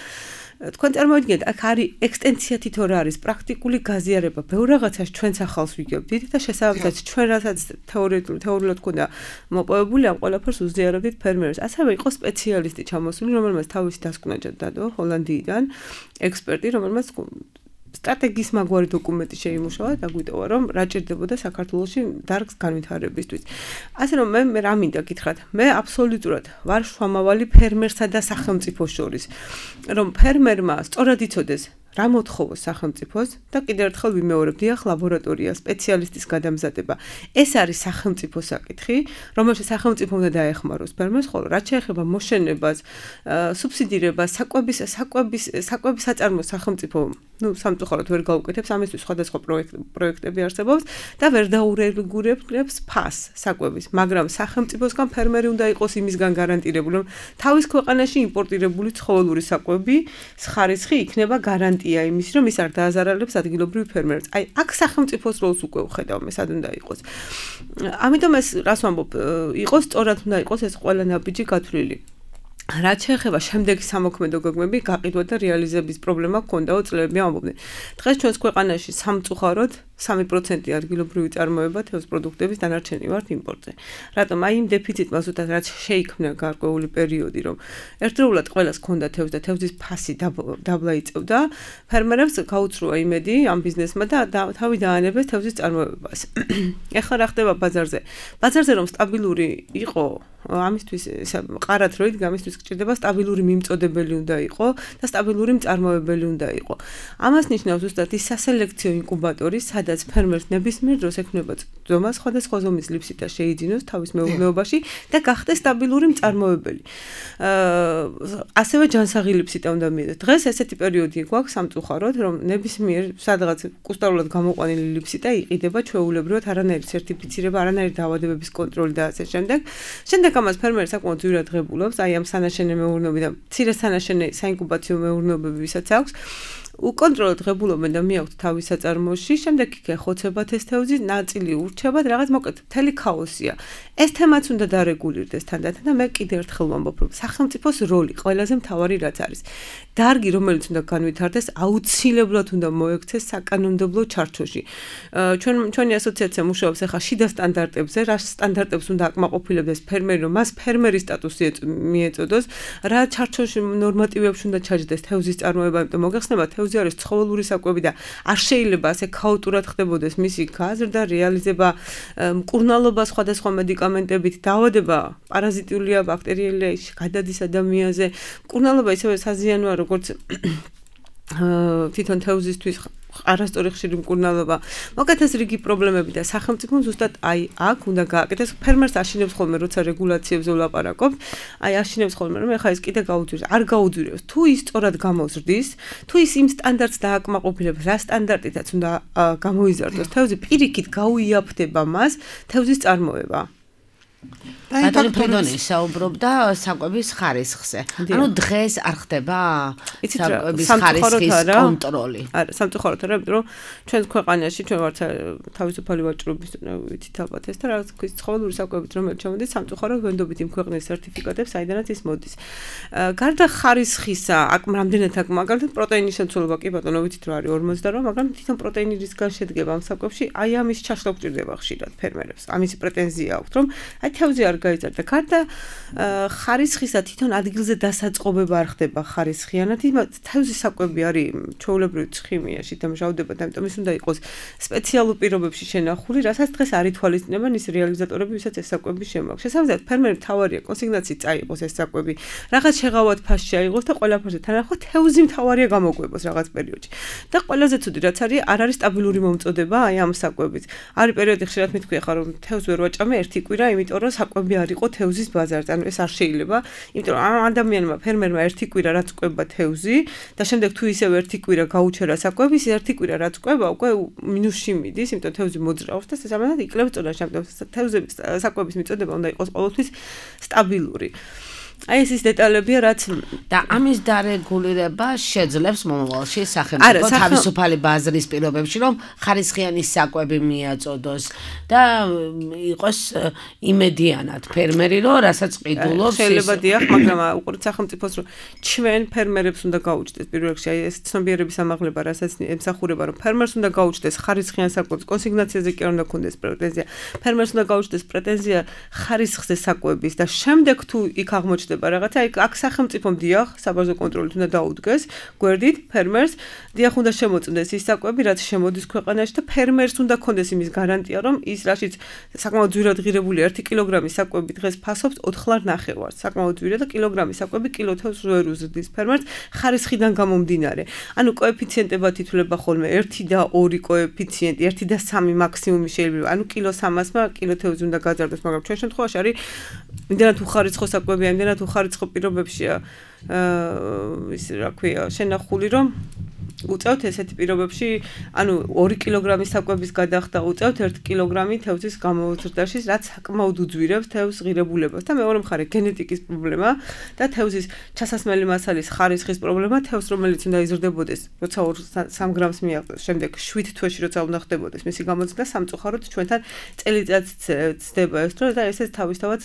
თქვენ წარმოვიდგინეთ, აქ არის ექსტენსია თითო რა არის, პრაქტიკული გაზიარება, ბევრ რაღაცას ჩვენც ახალს ვიგებდით და შესაბამისად ჩვენ რასაც თეორიულად თეორიულად გქონდა მოპოვებული ამ ყველაფერს უზიარებდით ფერმერებს. ასევე იყო სპეციალისტი ჩამოსული, რომელმაც თავისი დასკვნა დადო ჰოლანდიიდან, ექსპერტი, რომელმაც სტრატეგიის მაგვარი დოკუმენტი შეიმუშავა და გვიტოვა, რომ რა ჭირდებოდა საქართველოში დარგს განვითარებისთვის. ასე რომ მე მე რა მინდა გითხრათ, მე აბსოლუტურად ვარ შუამავალი ფერმერსა და სახელმწიფოს შორის, რომ ფერმერმა სწორად იცოდეს რა მოთხოვოს სახელმწიფოს და კიდევ ერთხელ ვიმეორებ, დიახ, ლაბორატორია, სპეციალისტის გადამზადება. ეს არის სახელმწიფო საკითხი, რომელშიც სახელმწიფო უნდა დაეხმაროს ფერმერს, ხოლო რაც შეეხება მოშენებას, სუბსიდირებას, საკვების, საკვების, საკვების საწარმოს სახელმწიფო, ну, სამწუხაროდ ვერ გაუკეთებს, ამისთვის სხვადასხვა პროექტები არსებობს და ვერ დაურეგულირებს ფას საკვების, მაგრამ სახელმწიფოსგან ფერმერი უნდა იყოს იმისგან გარანტირებული, რომ თავის ქვეყანაში იმპორტირებული ცხოველური საკვები ხარისხი იქნება გარანტია იმის, რომ ის არ დააზარალებს ადგილობრივ ფერმერებს. აი, აქ სახელმწიფოს როლს უკვე ვხედავ მე, სად უნდა იყოს. ამიტომ ეს რას ვამბობ, იყოს სწორად უნდა იყოს ეს ყველა ნაბიჯი გათვლილი. რაც შეეხება შემდეგი სამოქმედო გეგმები, გაყიდვა და რეალიზების პრობლემა ჰქონდაო წლები ამბობდნენ. დღეს ჩვენს ქვეყანაში სამწუხაროდ სამი პროცენტი ადგილობრივი წარმოება თევზ პროდუქტების დანარჩენი ვართ იმპორტზე. რატომ? აი იმ დეფიციტმა ზუსტად რაც შეიქმნა გარკვეული პერიოდი, რომ ერთდროულად ყველას ჰქონდა თევზ და თევზის ფასი დაბლა იწევდა, ფერმერებს გაუცრუა იმედი ამ ბიზნესმა და თავი დაანებეს თევზის წარმოებას. ეხლა რა ხდება ბაზარზე? ბაზარზე რომ სტაბილური იყო ამისთვის ყარად რო იდგა, ამისთვის გჭირდება სტაბილური მიმწოდებელი უნდა იყო და სტაბილური მწარმოებელი უნდა იყო. ამას ნიშნავს ზუსტად ის სასელექციო ინკუბატორი, სადაც ფერმერს ნებისმიერ დროს ექნება ძომა სხვადასხვა ზომის ლიფსიტა შეიძინოს თავის მეურნეობაში და გახდეს სტაბილური მწარმოებელი. ასევე ჯანსაღი ლიფსიტა უნდა მიიღოს. დღეს ესეთი პერიოდი გვაქვს სამწუხაროდ, რომ ნებისმიერ სადღაც კუსტარულად გამოყვანილი ლიფსიტა იყიდება ჩვეულებრივად, არანაირი სერტიფიცირება, არანაირი დაავადებების კონტროლი და ასე შემდეგ. შემდეგ ამას ფერმერი საკმაოდ ძვირად ღებულობს, აი ამ სანაშენე მეურნეობები და მცირე სანაშენე საინკუბაციო მეურნეობები ვისაც აქვს, უკონტროლოდ ღებულობენ და მიაქვთ თავის საწარმოში, შემდეგ იქ ეხოცებათ ეს თევზი, ნაწილი ურჩებათ, რაღაც მოკლედ მთელი ქაოსია. ეს თემაც უნდა დარეგულირდეს თანდათან და მე კიდევ ერთხელ ვამბობ, რომ სახელმწიფოს როლი ყველაზე მთავარი რაც არის. დარგი, რომელიც უნდა განვითარდეს, აუცილებლად უნდა მოექცეს საკანონმდებლო ჩარჩოში. ჩვენ ჩვენი ასოციაცია მუშაობს ახლა შიდა სტანდარტებზე, რა სტანდარტებს უნდა აკმაყოფილებდეს ფერმერი, რომ მას ფერმერის სტატუსი მიეწოდოს, რა ჩარჩოში ნორმატივებში უნდა ჩაჯდეს თევზის წარმოება, იმიტომ მოგეხსენებათ თევზი არის ცხოველური საკვები და არ შეიძლება ასე ქაოტურად ხდებოდეს მისი გაზრდა, რეალიზება, მკურნალობა სხვადასხვა მედიკამენტებით, დაავადება პარაზიტულია, ბაქტერიელია, გადადის ადამიანზე. მკურნალობა ისევე საზიანოა, როგორც თვითონ თევზისთვის არასწორი ხშირი მკურნალობა. მოკლედ ეს რიგი პრობლემები და სახელმწიფომ ზუსტად აი აქ უნდა გააკეთოს. ფერმერს აშინებს ხოლმე, როცა რეგულაციებზე ვლაპარაკობთ, აი აშინებს ხოლმე, რომ ეხლა ეს კიდე გაუძვირებს, არ გაუძვირებს. თუ ის სწორად გამოზრდის, თუ ის იმ სტანდარტს დააკმაყოფილებს, რა სტანდარტითაც უნდა გამოიზარდოს თევზი, პირიქით გაუიაფთება მას თევზის წარმოება. ბატონი ფრიდონი საუბრობდა საკვების ხარისხზე. ანუ დღეს არ ხდება საკვების ხარისხის კონტროლი. არა, სამწუხაროდ არა, იმიტომ რომ ჩვენს ქვეყანაში ჩვენ ვართ თავისუფალი ვაჭრობის ვიცით ალბათ ეს და რაღაც ქვის ცხოველური საკვებით რომელიც ჩამოდის, სამწუხაროდ ვენდობით იმ ქვეყნის სერტიფიკატებს, საიდანაც ის მოდის. გარდა ხარისხისა, აქ რამდენად აქ მაგალითად პროტეინის შემცველობა კი ბატონო ვიცით რა არის ორმოცდაოთხ, მაგრამ თვითონ პროტეინი რისგან შედგება ამ საკვებში, აი ამის ჩაშლა გჭირდება ხშირად ფერმერებს. ამისი პრეტენზია აქვთ, რომ აი თევზი არ გაიზარდა. გარდა ხარისხისა თვითონ ადგილზე დასაწყობება არ ხდება ხარისხიანად. თევზის საკვები არის ჩვეულებრივი ცხიმიაში დამჟავდება და ამიტომ ის უნდა იყოს სპეციალურ პირობებში შენახული, რასაც დღეს არ ითვალისწინებენ ის რეალიზატორები, ვისაც ეს საკვები შემოაქვს. შესაბამისად, ფერმერი თავარია კონსიგნაციით წაიღოს ეს საკვები, რაღაც შეღავად ფასში აიღოს და ყველაფერზე თანახმად თევზი მთავარია გამოკვებოს რაღაც პერიოდში. და ყველაზე ცუდი რაც არის, არ არის სტაბილური მომწოდება აი ამ საკვების. არის პერიოდი ხშირად მithქვია ხარ რომ თევზს ვერ ვაჭამე ერთი კვირა, იმიტომ რომ საკვები არ იყო თევზის ბაზარზე. ანუ ეს არ შეიძლება, იმიტომ რომ ამ ადამიანმა ფერმერმა ერთი კვირა რაც ყვება თევზი და შემდეგ თუ ისევ ერთი კვირა გაუჩერა საკვები, ის ერთი კვირა რაც ყვება უკვე მინუსში მიდის, იმიტომ თევზი მოძრაობს და შესაბამისად იკლებს წონაში. ამიტომ თევზების საკვების მიწოდება უნდა იყოს ყოველთვის სტაბილური. აი ეს ის დეტალებია, რაც და ამის დარეგულირება შეძლებს მომავალში სახელმწიფო თავისუფალი ბაზრის პირობებში, რომ ხარისხიანი საკვები მიაწოდოს და იყოს იმედიანად ფერმერი, რომ რასაც ყიდულობს. შეიძლება დიახ, მაგრამ უყურეთ სახელმწიფოს, რომ ჩვენ ფერმერებს უნდა გაუჩნდეს პირველ რიგში აი ეს ცნობიერების ამაღლება, რასაც ემსახურება, რომ ფერმერს უნდა გაუჩნდეს ხარისხიან საკვების კონსიგნაციაზე კი არ უნდა ქონდეს პრეტენზია. ფერმერს უნდა გაუჩნდეს პრეტენზია ხარისხზე საკვების და შემდეგ თუ იქ აღმოჩნდეს გამოჩნდება რაღაცა, აი აქ სახელმწიფომ დიახ, საბაზო კონტროლით უნდა დაუდგეს, გვერდით ფერმერს, დიახ უნდა შემოწმდეს ის საკვები, რაც შემოდის ქვეყანაში და ფერმერს უნდა ქონდეს იმის გარანტია, რომ ის რაშიც საკმაოდ ძვირად ღირებული ერთი კილოგრამის საკვები დღეს ფასობს ოთხ ლარ ნახევარს. საკმაოდ ძვირად და კილოგრამის საკვები კილოთევზს ვერ უზრდის ფერმერს ხარისხიდან გამომდინარე. ანუ კოეფიციენტებად ითვლება ხოლმე ერთი და ორი კოეფიციენტი, ერთი და სამი მაქსიმუმი შეიძლება. ანუ კილო სამასმა კილოთევზი უნდა გაძარდოს, მაგრამ ჩვენ შემთხვევაში არის იმდენად უხარისხო საკვებია, იმდენად უხარისხო პირობებშია აა ის რა ქვია, შენახული რომ უწევთ ესეთი პირობებში, ანუ ორი კილოგრამის საკვების გადახდა უწევთ ერთი კილოგრამი თევზის გამოზრდაში, რაც საკმაოდ უძვირებს თევზს ღირებულებას და მეორე მხარე გენეტიკის პრობლემა და თევზის ჩასასმელი მასალის ხარისხის პრობლემა, თევზს რომელიც უნდა იზრდებოდეს, როცა ორ სამ გრამს მიაღწევს, შემდეგ შვიდ თვეში როცა უნდა ხდებოდეს მისი გამოზრდა სამწუხაროდ ჩვენთან წელიწადს ცდება ეს დრო და ესეც თავისთავად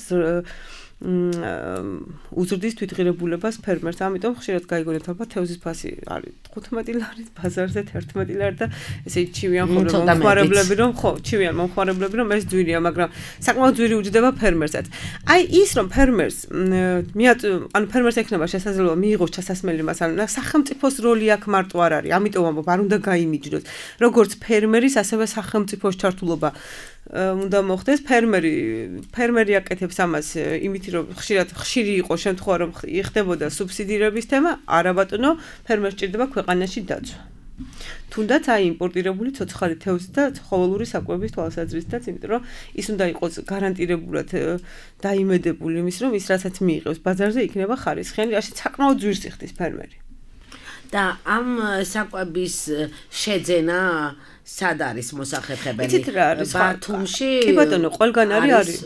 უზრდის თვითღირებულებას ფერმერს. ამიტომ ხშირად გაიგონებთ ალბათ თევზის ფასი არის თხუთმეტი ლარი ბაზარზე ერთმეტი ლარი და ესე ჩივიან ხოლმე მომხმარებლები რომ ხო, ჩივიან მომხმარებლები რომ ეს ძვირია, მაგრამ საკმაოდ ძვირი უჯდება ფერმერსაც. აი ის რომ ფერმერს მიაწ ანუ ფერმერს ექნება შესაძლებლობა მიიღოს ჩასასმელი მასალა, სახელმწიფოს როლი აქ მარტო არ არის. ამიტომ ამბობ, არ უნდა გაიმიჯნოს. როგორც ფერმერის, ასევე სახელმწიფოს ჩართულობა უნდა მოხდეს. ფერმერი ფერმერი აკეთებს ამას იმით რომ ხშირად ხშირი იყო შემთხვევა რომ იხდებოდა სუბსიდირების თემა, არა ბატონო, ფერმერს ჭირდება ქვეყანაში დაცვა. თუნდაც აი იმპორტირებული ცოცხალი თევზი და ცხოველური საკვების თვალსაზრისითაც, იმიტომ რომ ის უნდა იყოს გარანტირებულად დაიმედებული იმის რომ ის რასაც მიიღებს ბაზარზე იქნება ხარისხიანი, რაშიც საკმაოდ ძვირს იხდის ფერმერი. და ამ საკვების შეძენა სად არის მოსახერხებელი? ბათუმში? კი ბატონო, ყველგან არის არის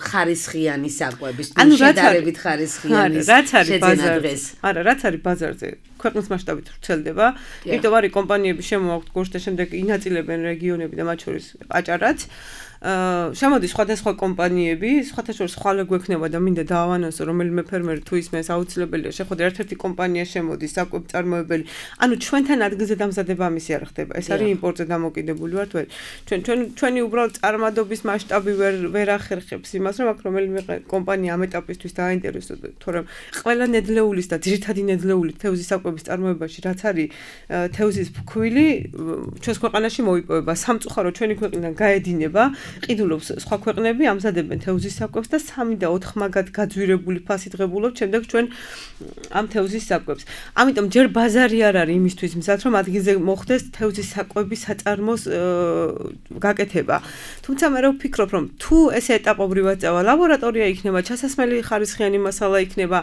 ხარისხიანი საკვების, შედარებით ხარისხიანი შეძენა დღეს. არა, რაც არის ბაზარზე, ქვეყნის მასშტაბით ვრცელდება. იმიტომ არის კომპანიები შემოაქვთ გუშინ და შემდეგ ინაწილებენ რეგიონები და მათ შორის აჭარაც. აა შემოდის სხვადასხვა კომპანიები, სხვათა შორის ხვალე გვექნება და მინდა დაავანოსო რომელიმე ფერმერი თუ ისმენს აუცილებელია შეხვდა ერთ-ერთი კომპანია შემოდის საკვებ წარმოებელი. ანუ ჩვენთან ადგილზე დამზადება ამისი არ ხდება. ეს არის იმპორტზე დამოკიდებული ვართ ვერ. ჩვენ ჩვენ ჩვენი უბრალოდ წარმადობის მასშტაბი ვერ ვერ ახერხებს იმას, რომ აქ რომელიმე კომპანია ამ ეტაპისთვის დააინტერესოს, თორემ ყველა ნედლეულის და ძირითადი ნედლეული თევზის საკვების წარმოებაში რაც არის თევზის ფქვილი ჩვენს ქვეყანაში მოიპოვება. სამწუხაროდ ჩვენი ქვეყნიდან გაედინება ყიდულობს სხვა ქვეყნები ამზადებენ თევზის საკვებს და სამი და ოთხ მაგად გაძვირებული ფასით ღებულობთ შემდეგ ჩვენ ამ თევზის საკვებს. ამიტომ ჯერ ბაზარი არ არის იმისთვის მზად რომ ადგილზე მოხდეს თევზის საკვების საწარმოს გაკეთება. თუმცა მე ვფიქრობ რომ თუ ესე ეტაპობრივად წავა, ლაბორატორია იქნება, ჩასასმელი ხარისხიანი მასალა იქნება,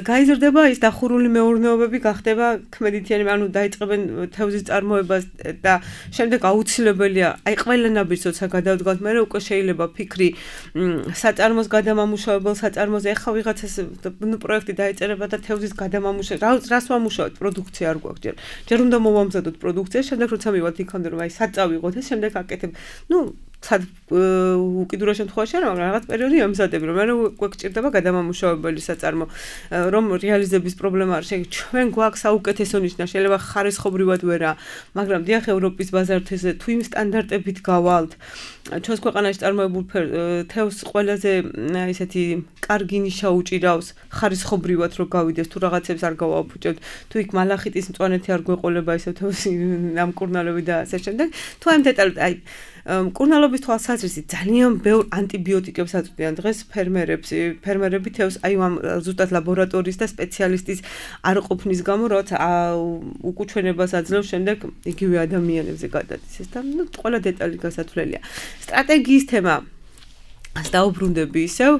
გაიზრდება ის დახურული მეურნეობები, გახდება ქმედითიანი, ანუ დაიწყებენ თევზის წარმოებას და შემდეგ აუცილებელია აი ყველა ნაბიჯს როცა გადავდგათ მე უკვე შეიძლება ფიქრი საწარმოს გადამამუშავებელ საწარმოზე ეხა ვიღაცას ნუ პროექტი დაეწერება და თევზის გადამამუშავება რას ვამუშავებთ პროდუქცია არ გვაქვს ჯერ ჯერ უნდა მოვამზადოთ პროდუქცია შემდეგ როცა მივიღოთ იქამდე რომ აი საწავიღოთ და შემდეგ აკეთებ ნუ სად უკიდურეს შემთხვევაში არა მაგრამ რაღაც პერიოდი ამზადებ რომ მე გვეჭირდება გადამამუშავებელი საწარმო რომ რეალიზების პრობლემა არ შეიძლება ჩვენ გვაქვს საუკეთესო ნიშნა შეიძლება ხარისხობრივად ვერა მაგრამ დიახ ევროპის ბაზართეზე თუ იმ სტანდარტებით გავალთ ჩვენს ქვეყანაში წარმოებულ თევზს ყველაზე ისეთი კარგი ნიშა უჭირავს ხარისხობრივად რომ გავიდეს თუ რაღაცებს არ გავაფუჭებთ თუ იქ მალახიტის მწვანეთი არ გვეყოლება ისე თევზი ნამკურნალები და ასე შემდეგ თუ ამ დეტალით აი მკურნალობის თვალსაზრისით ძალიან ბევრ ანტიბიოტიკებს აწვდიან დღეს ფერმერებს ფერმერები თევზს აი ამ ზუსტად ლაბორატორიის და სპეციალისტის არ ყოფნის გამო რაც უკუჩვენებას აძლევს შემდეგ იგივე ადამიანებზე გადადის და ნუ ყველა დეტალი გასათვლელია სტრატეგიის თემა ას დაუბრუნდები ისევ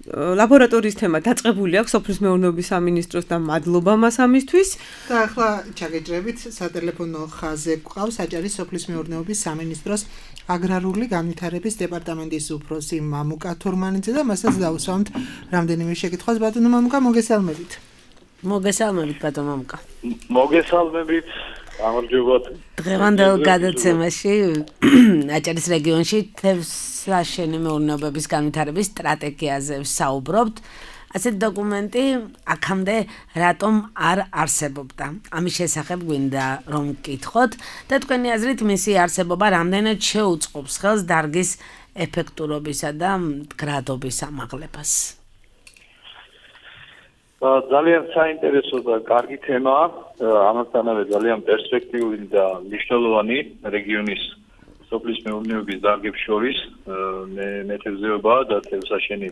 ლაბორატორიის თემა დაწყებული აქვს სოფლის მეურნეობის სამინისტროს და მადლობა მას ამისთვის და ახლა ჩაგეჭრებით სატელეფონო ხაზზე გვყავს აჭარის სოფლის მეურნეობის სამინისტროს აგრარული განვითარების დეპარტამენტის უფროსი მამუკა თურმანიძე და მასაც დავუსვამთ რამდენიმე შეკითხვას ბატონო მამუკა მოგესალმებით მოგესალმებით ბატონო მამუკა მოგესალმებით გამარჯობათ დღევანდელ გადაცემაში აჭარის რეგიონში თევზსაშენი მეურნეობების განვითარების სტრატეგიაზე ვსაუბრობთ ასეთ დოკუმენტი აქამდე რატომ არ არსებობდა ამის შესახებ გვინდა რომ გკითხოთ და თქვენი აზრით მისი არსებობა რამდენად შეუწყობს ხელს დარგის ეფექტურობისა და მდგრადობის ამაღლებას ძალიან საინტერესო და კარგი თემაა, ამასთანავე ძალიან პერსპექტიული და მნიშვნელოვანი რეგიონის სოფლის მეურნეობის დარგებს შორის მეთევზეობა და თევზსაშენი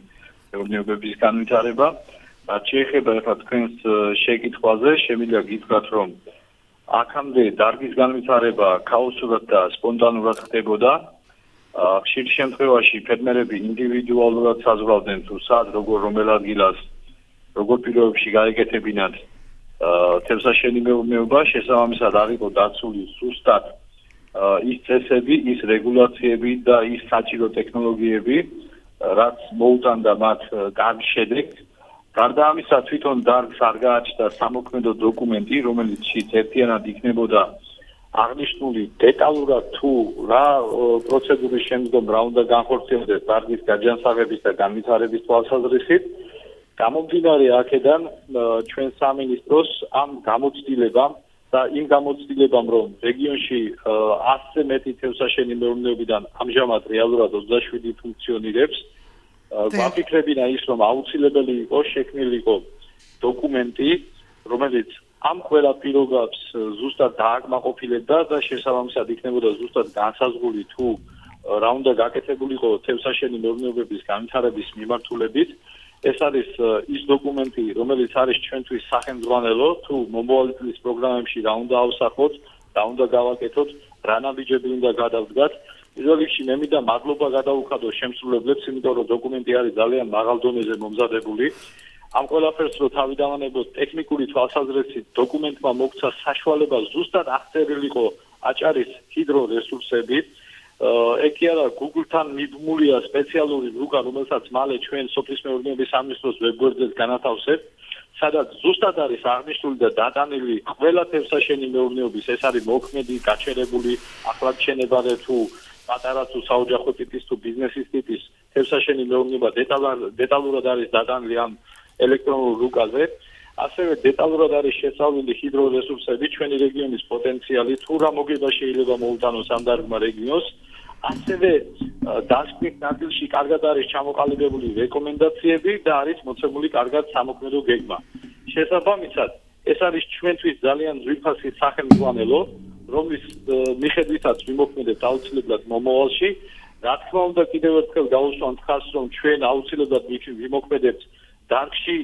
მეურნეობების განვითარება. რაც შეეხება ახლა თქვენს შეკითხვაზე, შემიძლია გითხრათ, რომ აქამდე დარგის განვითარება ქაოსურად და სპონტანურად ხდებოდა. ხშირ შემთხვევაში ფერმერები ინდივიდუალურად საზღვრავდნენ თუ სად როგორ რომელ ადგილას როგორ პირობებში გაეკეთებინათ თევზსაშენი მეურნეობა, შესაბამისად არ იყო დაცული სუსტად ის წესები, ის რეგულაციები და ის საჭირო ტექნოლოგიები, რაც მოუტანდა მათ კარგ შედეგს. გარდა ამისა, თვითონ დარგს არ გააჩნდა სამოქმედო დოკუმენტი, რომელიც ერთიანად იქნებოდა აღნიშნული დეტალურად თუ რა პროცედურის შემდგომ რა უნდა განხორციელდეს დარგის გაჯანსაღების და განვითარების თვალსაზრისით. გამომდინარე აქედან ჩვენ სამინისტროს ამ გამოცდილებამ და იმ გამოცდილებამ, რომ რეგიონში ასზე მეტი თევზსაშენი მეურნეობიდან ამჟამად რეალურად ოცდაშვიდი ფუნქციონირებს, გვაფიქრებინა ის, რომ აუცილებელი იყო შექმნილიყო დოკუმენტი, რომელიც ამ ყველა პირობებს ზუსტად დააკმაყოფილებდა და შესაბამისად იქნებოდა ზუსტად განსაზღვრული თუ რა უნდა გაკეთებულიყო თევზსაშენი მეურნეობების განვითარების მიმართულებით. ეს არის ის დოკუმენტი, რომელიც არის ჩვენთვის სახელმძღვანელო, თუ მომავალი წლის პროგრამებში რა უნდა ავსახოთ, რა უნდა გავაკეთოთ, რა ნაბიჯები უნდა გადავდგათ. პირველ რიგში მე მინდა მადლობა გადაუხადო შემსრულებლებს, იმიტომ რომ დოკუმენტი არის ძალიან მაღალ დონეზე მომზადებული. ამ ყველაფერს რო თავიდანვანებოთ ტექნიკური თვალსაზრისით, დოკუმენტმა მოგცა საშუალება ზუსტად აღწერილიყო აჭარის ჰიდრორესურსები. ეგ კი არა, Google-თან მიბმულია სპეციალური რუკა, რომელსაც მალე ჩვენ სოფლის მეურნეობის სამინისტროს ვებგვერდზეც განათავსებთ, სადაც ზუსტად არის აღნიშნული და დატანილი ყველა თევზსაშენი მეურნეობის, ეს არის მოქმედი, გაჩერებული, ახლად შენებარე თუ პატარა თუ საოჯახო ტიპის თუ ბიზნესის ტიპის თევზსაშენი მეურნეობა დეტალურად არის დატანილი ამ ელექტრონულ რუკაზე. ასევე დეტალურად არის შესწავლილი ჰიდრორესურსები, ჩვენი რეგიონის პოტენციალი, თუ რა მოგება შეიძლება მოუტანოს ამ დარგმა რეგიონს. ასევე დასკვნის ნაწილში კარგად არის ჩამოყალიბებული რეკომენდაციები და არის მოცემული კარგად სამოქმედო გეგმა. შესაბამისად, ეს არის ჩვენთვის ძალიან ძვირფასი სახელმძღვანელო, რომლის მიხედვითაც ვიმოქმედებთ აუცილებლად მომავალში. რა თქმა უნდა, კიდევ ერთხელ გავუსვამთ ხაზს, რომ ჩვენ აუცილებლად ვიმოქმედებთ დარგში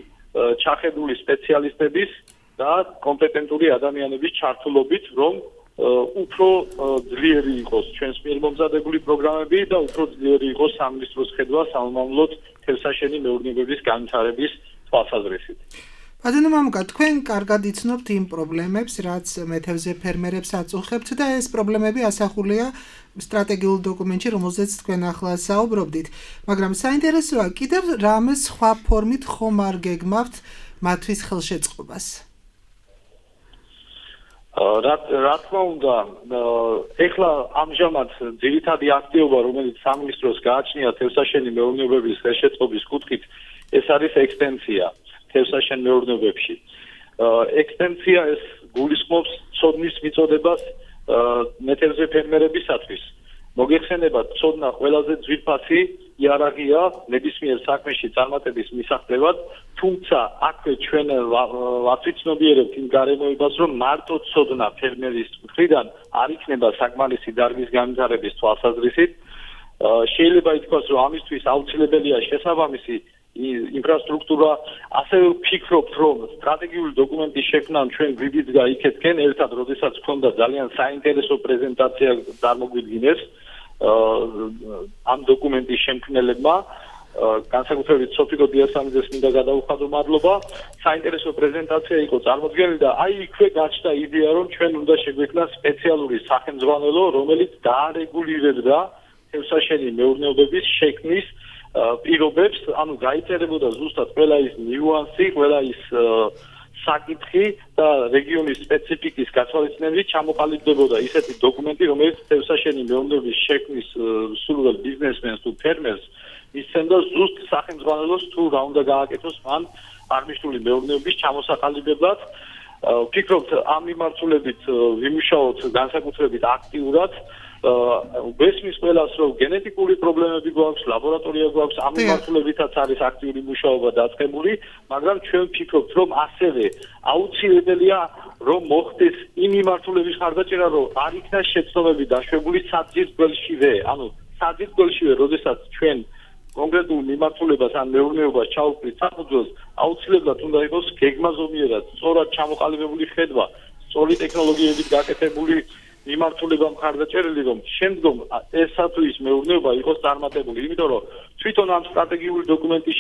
ჩახედული სპეციალისტების და კომპეტენტური ადამიანების ჩართულობით, რომ უფრო ძლიერი იყოს ჩვენს მიერ მომზადებული პროგრამები და უფრო ძლიერი იყოს სამინისტროს ხედვა სამომავლოდ თევზსაშენი მეურნეობების განვითარების თვალსაზრისით. ბატონო მამუკა, თქვენ კარგად იცნობთ იმ პრობლემებს, რაც მეთევზე ფერმერებს აწუხებთ და ეს პრობლემები ასახულია სტრატეგიულ დოკუმენტში, რომელზეც თქვენ ახლა საუბრობდით. მაგრამ საინტერესოა, კიდევ რამე სხვა ფორმით ხომ არ გეგმავთ მათთვის ხელშეწყობას? რა რა თქმა უნდა, ეხლა ამჟამად ძირითადი აქტივობა, რომელიც სამინისტროს გააჩნია თევზსაშენი მეურნეობების ხელშეწყობის კუთხით, ეს არის ექსტენსია თევზსაშენ მეურნეობებში. ექსტენსია ეს გულისხმობს ცოდნის მიწოდებას მეთევზე ფერმერებისათვის. მოგეხსენებათ, ცოდნა ყველაზე ძვირფასი იარაღია ნებისმიერ საქმეში წარმატების მისაღებად, თუმცა აქვე ჩვენ ვაცნობიერებთ იმ გარემოებას, რომ მარტო ცოდნა ფერმერის მხრიდან არ იქნება საკმარისი დარგის განვითარების თვალსაზრისით. შეიძლება ითქვას, რომ ამისთვის აუცილებელია შესაბამისი ინფრასტრუქტურა. ასევე ვფიქრობთ, რომ სტრატეგიული დოკუმენტის შექმნამ ჩვენ გვიბიძ გაიქეთკენ ერთად, როდესაც გქონდა ძალიან საინტერესო პრეზენტაცია წარმოგვიდგინეს ამ დოკუმენტის შემქმნელებმა. განსაკუთრებით სოფიკო დიასამიძეს მინდა გადაუხადო მადლობა. საინტერესო პრეზენტაცია იყო წარმოდგენილი და აი იქვე გაჩნდა იდეა, რომ ჩვენ უნდა შეგვექმნას სპეციალური სახელმძღვანელო, რომელიც დაარეგულირებდა თევზსაშენი მეურნეობების შექმნის პირობებს, ანუ გაიწერებოდა ზუსტად ყველა ის ნიუანსი, ყველა ის საკითხი და რეგიონის სპეციფიკის გათვალისწინებით ჩამოყალიბდებოდა ისეთი დოკუმენტი, რომელიც თევზსაშენი მეურნეობის შექმნის სრულ ბიზნესმენს თუ ფერმერს მისცემდა ზუსტ სახელმძღვანელოს თუ რა უნდა გააკეთოს მან აღნიშნული მეურნეობის ჩამოსაყალიბებლად. ვფიქრობთ, ამ მიმართულებით ვიმუშაოთ განსაკუთრებით აქტიურად. ბესმის ყველას რომ გენეტიკური პრობლემები გვაქვს, ლაბორატორია გვაქვს, ამ მიმართულებითაც არის აქტიური მუშაობა დაწყებული, მაგრამ ჩვენ ვფიქრობთ, რომ ასევე აუცილებელია რომ მოხდეს იმ მიმართულების ხარდაჭერა, რომ არ იქნას შეცდომები დაშვებული საძირკველშივე, ანუ საძირკველშივე, როდესაც ჩვენ კონკრეტულ მიმართულებას ან მეურნეობას ჩავუყრით საფუძველს, აუცილებლად უნდა იყოს გეგმაზომიერად, სწორად ჩამოყალიბებული ხედვა, სწორი ტექნოლოგიებით გაკეთებული მიმართულება მხარდაჭერილი, რომ შემდგომ ესა თუ ის მეურნეობა იყოს წარმატებული, იმიტომ რომ თვითონ ამ სტრატეგიული დოკუმენტის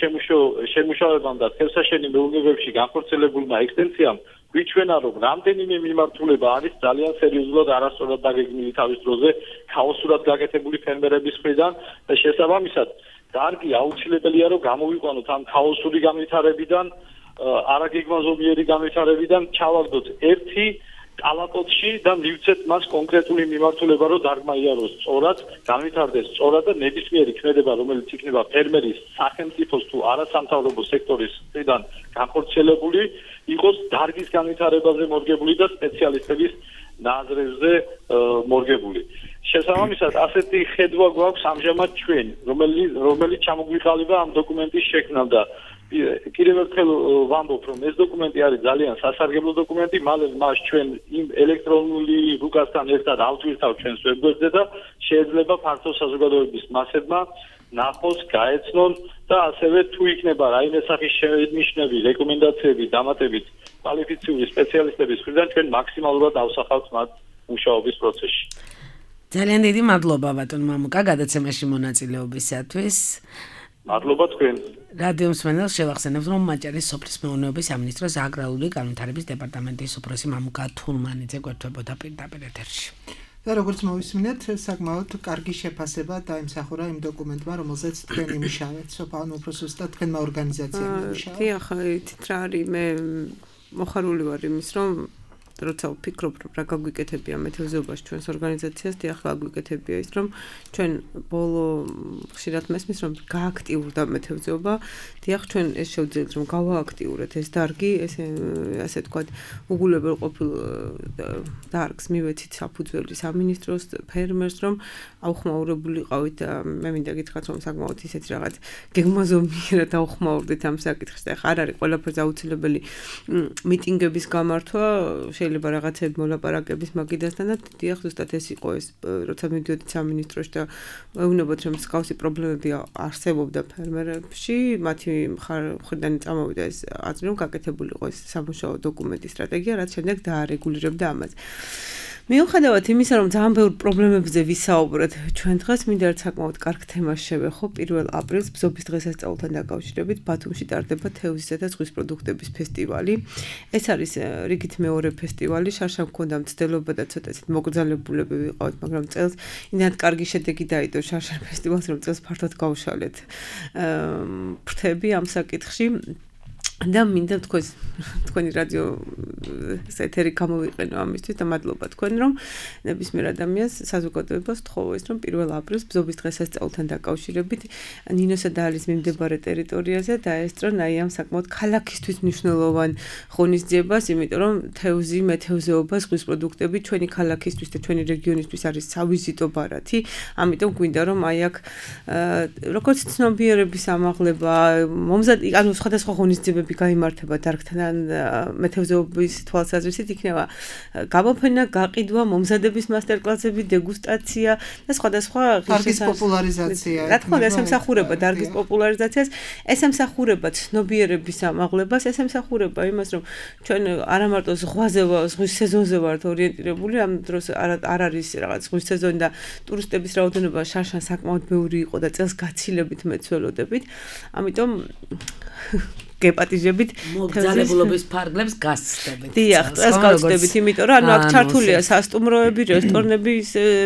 შემუშავებამ და თევზსაშენი მეურნეობებში განხორციელებულმა ექსტენსიამ გვიჩვენა, რომ რამდენიმე მიმართულება არის ძალიან სერიოზულად არასწორად დაგეგმილი თავის დროზე, ქაოსურად გაკეთებული ფერმერების მხრიდან და შესაბამისად კარგი აუცილებელია რომ გამოვიყვანოთ ამ ქაოსური განვითარებიდან, არაგეგმაზომიერი განვითარებიდან, ჩავაგდოთ ერთი კალაპოტში და მივცეთ მას კონკრეტული მიმართულება, რომ დარგმა იაროს სწორად, განვითარდეს სწორად და ნებისმიერი ქმედება, რომელიც იქნება ფერმერის, სახელმწიფოს თუ არასამთავრობო სექტორის მხრიდან განხორციელებული, იყოს დარგის განვითარებაზე მორგებული და სპეციალისტების ნაზრებზე მორგებული. შესაბამისად, ასეთი ხედვა გვაქვს ამჟამად ჩვენ, რომელიც რომელიც ჩამოგვიყალიბა ამ დოკუმენტის შექმნამ და კიდევ ერთხელ ვამბობ, რომ ეს დოკუმენტი არის ძალიან სასარგებლო დოკუმენტი, მალე მას ჩვენ იმ ელექტრონული რუკასთან ერთად ავტვირთავ ჩვენს ვებგვერდზე და შეიძლება ფართო საზოგადოების მასებმა ნახოს, გაეცნონ და ასევე თუ იქნება რაიმე სახის შენიშვნები, რეკომენდაციები დამატებით კვალიფიციური სპეციალისტების მხრიდან, ჩვენ მაქსიმალურად ავსახავთ მათ მუშაობის პროცესში. ძალიან დიდი მადლობა ბატონ მამუკა გადაცემაში მონაწილეობისათვის. მადლობა თქვენ. რადიო მსმენელს შევახსენებთ, რომ მაჭარის სოფლის მეურნეობის სამინისტროს აგრარული განვითარების დეპარტამენტის უფროსი მამუკა თურმანიძე გვერდებოდა პირდაპირ ეთერში. და როგორც მოვისმინეთ, საკმაოდ კარგი შეფასება დაიმსახურა იმ დოკუმენტმა, რომელზეც თქვენ იმუშავეთ, სოფაონ უფროს ზუსტად თქვენმა ორგანიზაციამ იმუშავა. დიახ, ითით რა არის, მე მოხარული ვარ იმის, რომ როცა ვფიქრობ, რომ რა გაგვიკეთებია მეთევზეობაში ჩვენს ორგანიზაციას, დიახ, გაგვიკეთებია ის, რომ ჩვენ ბოლო ხშირად მესმის, რომ გააქტიურდა მეთევზეობა, დიახ, ჩვენ ეს შევძლებთ, რომ გავააქტიურეთ ეს დარგი, ესე ასე თქვა, უგულებელ ყოფილ დარგს მივეცით საფუძველი სამინისტროს, ფერმერს, რომ აუხმაურებულიყავით და მე მინდა გითხრათ, რომ საკმაოდ ისეთი რაღაც გეგმაზომიერად აუხმაურდით ამ საკითხს და ხარ არის ყველაფერზე აუცილებელი მიტინგების გამართვა, შეიძლება რაღაცები მოლაპარაკების მაგიდასთან და დიახ, ზუსტად ეს იყო ეს, როცა მივდიოდით სამინისტროში და ვეუბნებოდ, რომ მსგავსი პრობლემები არსებობდა ფერმერებში, მათი მხრიდან წამოვიდა ეს აზრი, რომ გაკეთებული იყო ეს სამუშაო დოკუმენტის სტრატეგია, რაც შემდეგ დაარეგულირებდა ამას. მიუხედავად იმისა, რომ ძალიან ბევრ პრობლემებზე ვისაუბრეთ ჩვენ დღეს, მინდა ერთ საკმაოდ კარგ თემას შევეხო. პირველ აპრილს ბზობის დღესასწაულთან დაკავშირებით ბათუმში ტარდება თევზისა და ზღვის პროდუქტების ფესტივალი. ეს არის რიგით მეორე ფესტივალი, შარშან მქონდა მცდელობა და ცოტა ისეთ მოკრძალებულები ვიყავით, მაგრამ წელს იმდენად კარგი შედეგი დაიდო შარშან ფესტივალს, რომ წელს ფართოდ გავშალეთ ფრთები ამ საკითხში. და მინდა თქვენ თქვენი რადიო ეთერი გამოვიყენო ამისთვის და მადლობა თქვენ, რომ ნებისმიერ ადამიანს საზოგადოებას თხოვო ის, რომ პირველ აპრილს ბზობის დღესასწაულთან დაკავშირებით ნინოსა და ალის მიმდებარე ტერიტორიაზე დაესწრონ აი ამ საკმაოდ ქალაქისთვის მნიშვნელოვან ღონისძიებას, იმიტომ რომ თევზი, მეთევზეობა, ზღვის პროდუქტები ჩვენი ქალაქისთვის და ჩვენი რეგიონისთვის არის სავიზიტო ბარათი, ამიტომ გვინდა რომ აი აქ როგორც ცნობიერების ამაღლება, მომზად ანუ სხვადასხვა ღონისძიებები გაიმართება დარგთან მეთევზეობის თვალსაზრისით, იქნება გამოფენა, გაყიდვა, მომზადების მასტერკლასები, დეგუსტაცია და სხვადასხვა დარგის პოპულარიზაცია. რა თქმა უნდა, ეს ემსახურება დარგის პოპულარიზაციას, ეს ემსახურება ცნობიერების ამაღლებას, ეს ემსახურება იმას, რომ ჩვენ არა მარტო ზღვაზე, ზღვის სეზონზე ვართ ორიენტირებული, ამ დროს არ არის რაღაც ზღვის სეზონი და ტურისტების რაოდენობა შარშან საკმაოდ ბევრი იყო და წელს გაცილებით მეცველოდებით. ამიტომ გეპატიჟებით მოგზაურობის ფარგლებს გასცდებით. დიახ, ეს გავცდებით, იმიტომ რომ ანუ აქ ჩართულია სასტუმროები, რესტორნები,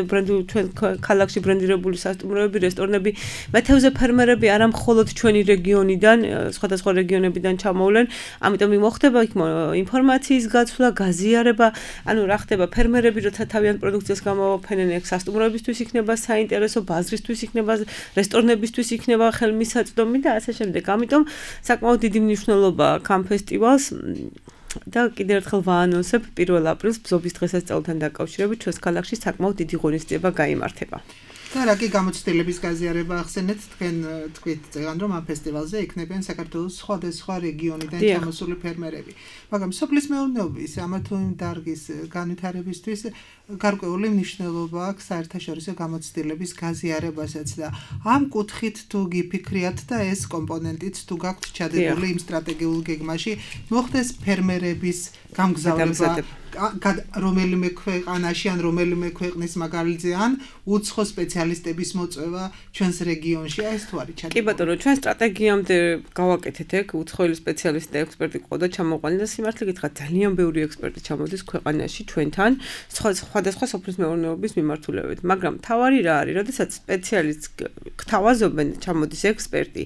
ბრენდი ჩვენ ქალაქში ბრენდირებული სასტუმროები, რესტორნები, მეთევზე ფერმერები არა მხოლოდ ჩვენი რეგიონიდან, სხვადასხვა რეგიონებიდან ჩამოვლენ, ამიტომ მოხდება იქ ინფორმაციის გაცვლა, გაზიარება, ანუ რა ხდება ფერმერები, როცა თავიანთ პროდუქციას გამოვაფენენ, ეგ სასტუმროებისთვის იქნება საინტერესო, ბაზრისთვის იქნება, რესტორნებისთვის იქნება ხელმისაწვდომი და ასე შემდეგ. ამიტომ საკმაოდ დიდი მნიშვნელობა ამ ფესტივალს და კიდევ ერთხელ ვაანონსებ პირველ აპრილს ბზობის დღესასწაულთან დაკავშირებით ჩვენს ქალაქში საკმაოდ დიდი ღონისძიება გაიმართება. და რა კი გამოცდილების გაზიარება ახსენეთ თქვენ თქვით წეგან რომ ამ ფესტივალზე იქნებიან საქართველოს სხვადასხვა რეგიონიდან ჩამოსული ფერმერები. მაგრამ სოფლის მეურნეობის ამა თუ იმ დარგის განვითარებისთვის გარკვეული მნიშვნელობა აქვს საერთაშორისო გამოცდილების გაზიარებასაც და ამ კუთხით თუ გიფიქრიათ და ეს კომპონენტიც თუ გაქვთ ჩადებული იმ სტრატეგიულ გეგმაში მოხდეს ფერმერების გამგზავრება რომელიმე ქვეყანაში ან რომელიმე ქვეყნის მაგალითზე ან უცხო სპეციალისტების მოწვევა ჩვენს რეგიონში ეს თუ არის ჩადებული. კი ბატონო, ჩვენ სტრატეგიამდე გავაკეთეთ ეგ უცხოელი სპეციალისტი და ექსპერტი ყავდა ჩამოყვანილი და სიმართლე გითხრათ ძალიან ბევრი ექსპერტი ჩამოდის ქვეყანაში ჩვენთან სხვადასხვა სოფლის მეურნეობის მიმართულებით, მაგრამ თავარი რა არის, როდესაც სპეციალისტს გთავაზობენ ჩამოდის ექსპერტი,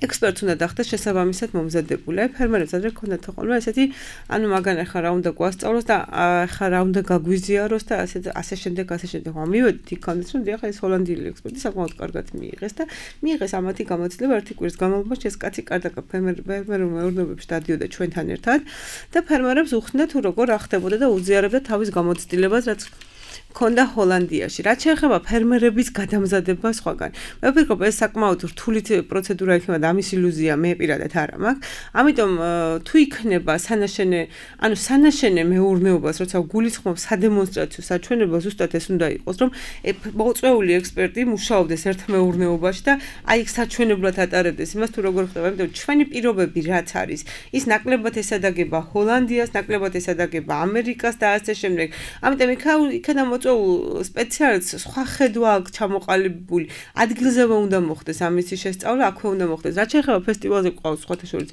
ექსპერტს უნდა დახდეს შესაბამისად მომზადებული, ფერმერებს ადრე ქონდათ ხოლმე ესეთი ანუ მაგან ახლა რა უნდა გვასწავლოს და ახლა რა უნდა გაგვიზიაროს და ასე ასე შემდეგ ასე შემდეგ. მივედით იქამდე რომ დიახ ეს ჰოლანდიელი ექსპერტი საკმაოდ კარგად მიიღეს და მიიღეს ამათი გამოცდილება ერთი კვირის განმავლობაში ეს კაცი კარგად ფერმერულ მეურნეობებში დადიოდა ჩვენთან ერთად და ფერმერებს უხსნიდა თუ როგორ ახდებოდა და უზიარებდა თავის გამოცდილებას რაც ქონდა ჰოლანდიაში. რაც შეეხება ფერმერების გადამზადებას სხვაგან. მე ვფიქრობ ეს საკმაოდ რთული პროცედურა იქნება და ამის ილუზია მე პირადად არ მაქვს. ამიტომ თუ იქნება სანაშენე, ანუ სანაშენე მეურნეობას, როცა გულისხმობს სადემონსტრაციო საჩვენებელს, ზუსტად ეს უნდა იყოს, რომ მოწვეული ექსპერტი მუშაობდეს ერთ მეურნეობაში და აი იქ საჩვენებლად ატარებდეს იმას თუ როგორ ხდება. ამიტომ ჩვენი პირობები რაც არის, ის ნაკლებად ესადაგება ჰოლანდიას, ნაკლებად ესადაგება ამერიკას და ასე შემდეგ. ამიტომ იქა მოწვეულ სპეციალისტს სხვა ხედვა აქვს ჩამოყალიბებული. ადგილზე უნდა მოხდეს ამისი შესწავლა, აქვე უნდა მოხდეს. რაც შეეხება ფესტივალზე ყავს სხვათა შორის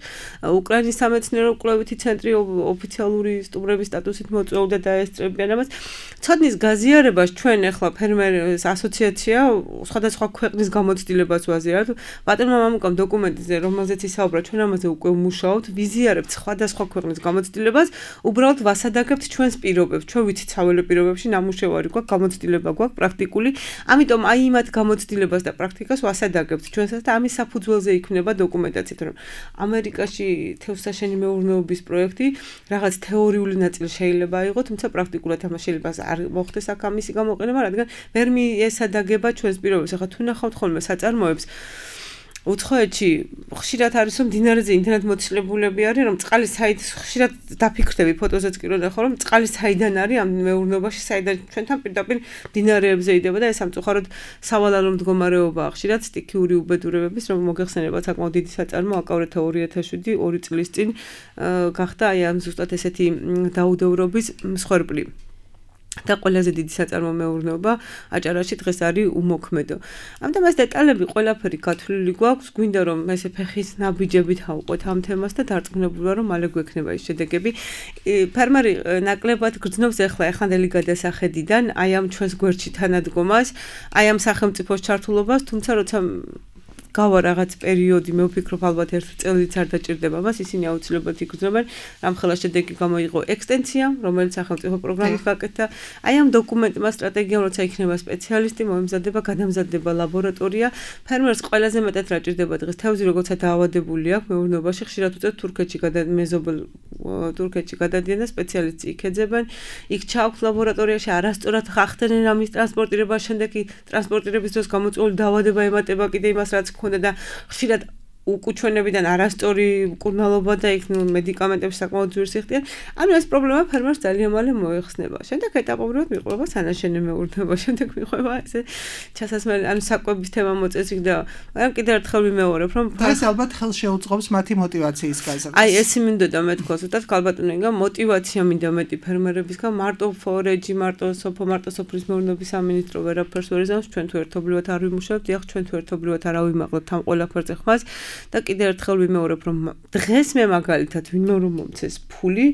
უკრაინის სამეცნიერო კვლევითი ცენტრი ოფიციალური სტუმრების სტატუსით მოწვეულდა და ესწრებიან ამას. ცოდნის გაზიარებას ჩვენ ახლა ფერმერების ასოციაცია სხვადასხვა ქვეყნის გამოცდილებას ვაზიარებთ. ბატონმა მამუკამ დოკუმენტზე, რომელზეც ისაუბრა, ჩვენ ამაზე უკვე ვმუშაობთ, ვიზიარებთ სხვადასხვა ქვეყნის გამოცდილებას, უბრალოდ ვასადაგებთ ჩვენს პირობებს, ჩვენ ვიცით საველე პირობებში ნამუშევარი გვაქვს, გამოცდილება გვაქვს პრაქტიკული. ამიტომ აი იმათ გამოცდილებას და პრაქტიკას ვასადაგებთ ჩვენსაც და ამის საფუძველზე იქნება დოკუმენტაციით, რომ ამერიკაში თევზსაშენი მეურნეობის პროექტი რაღაც თეორიული ნაწილი შეიძლება აიღო, თუმცა პრაქტიკულად ამას შეიძლება არ მოხდეს აქ ამისი გამოყენება, რადგან ვერ მიესადაგება ჩვენს პირობებს. ახლა თუ ნახავთ ხოლმე საწარმოებს უცხოეთში ხშირად არის რომ დინარეზე ინტერნეტ მოცილებულები არის რომ წყალი საით ხშირად დაფიქრდები ფოტოზეც კი რომ ნახო რომ წყალი საიდან არის ამ მეურნეობაში საიდან ჩვენთან პირდაპირ დინარეებზე იდება და ეს სამწუხაროდ სავალალო მდგომარეობა ხშირად სტიქიური უბედურებების რომ მოგეხსენებათ საკმაოდ დიდი საწარმო აკავრეთა ორი ათას შვიდი ორი წლის წინ გახდა აი ამ ზუსტად ესეთი დაუდევრობის მსხვერპლი. და ყველაზე დიდი საწარმო მეურნეობა აჭარაში დღეს არის უმოქმედო. ამიტომ ეს დეტალები ყველაფერი გათვლილი გვაქვს, გვინდა რომ ესე ფეხის ნაბიჯებით ავყვეთ ამ თემას და დარწმუნებულია რომ მალე გვექნება ის შედეგები. ფერმერი ნაკლებად გრძნობს ახლა ეხანდელი გადასახედიდან აი ამ ჩვენს გვერდში თანადგომას, აი ამ სახელმწიფოს ჩართულობას, თუმცა როცა გავა რაღაც პერიოდი, მე ვფიქრობ ალბათ ერთ წელიც არ დაჭირდება მას, ისინი აუცილებლად იგრძნობენ, რამხელა შედეგი გამოიღო ექსტენსია, რომელიც სახელმწიფო პროგრამით გაკეთდა. აი ამ დოკუმენტმა სტრატეგიამ, როცა იქნება სპეციალისტი, მოემზადება, გადამზადდება ლაბორატორია. ფერმერს ყველაზე მეტად რა ჭირდება დღეს, თევზი როგორცა დაავადებული აქვს მეურნეობაში, ხშირად უწევთ თურქეთში გადამეზობელ თურქეთში გადადიან და სპეციალისტი იქ ეძებენ, იქ ჩააქვთ ლაბორატორიაში, არასწორად ხახდენენ ამის ტრანსპორტირება, შემდეგ ტრანსპორტირების დროს გამოწვეული დაავადება ემატება კიდე იმას, რაც ქონდა და ხშირად უკუჩვენებიდან არასწორი მკურნალობა და იქ ნუ მედიკამენტებს საკმაოდ ძვირს იხდიან. ანუ ეს პრობლემა ფერმერს ძალიან მალე მოეხსნება. შემდეგ ეტაპობრივად მიყვება სანაშენე მეურნეობა, შემდეგ მიყვება ესე ჩასასმელი, ანუ საკვების თემა მოწეს იქ და მაგრამ კიდევ ერთხელ ვიმეორებ, რომ ეს ალბათ ხელს შეუწყობს მათი мотиваციის გაზრდას. აი ეს მინდოდა მე თქვა, ზუსტად ქალბატონო ინგა мотиваცია მინდა მეტი ფერმერებისგან, მარტო ფორეჯი, მარტო სოფო, მარტო სოფლის მეურნეობის სამინისტრო ვერაფერს ვერ იზამს, ჩვენ თუ ერთობლივად არ ვიმუშავებთ, დიახ, ჩვენ თუ ერთობლივად არ ავიმაღლებთ ამ ყველაფერზე ხმას. და კიდევ ერთხელ ვიმეორებ რომ დღეს მე მაგალითად ვინმე რომ მომცეს ფული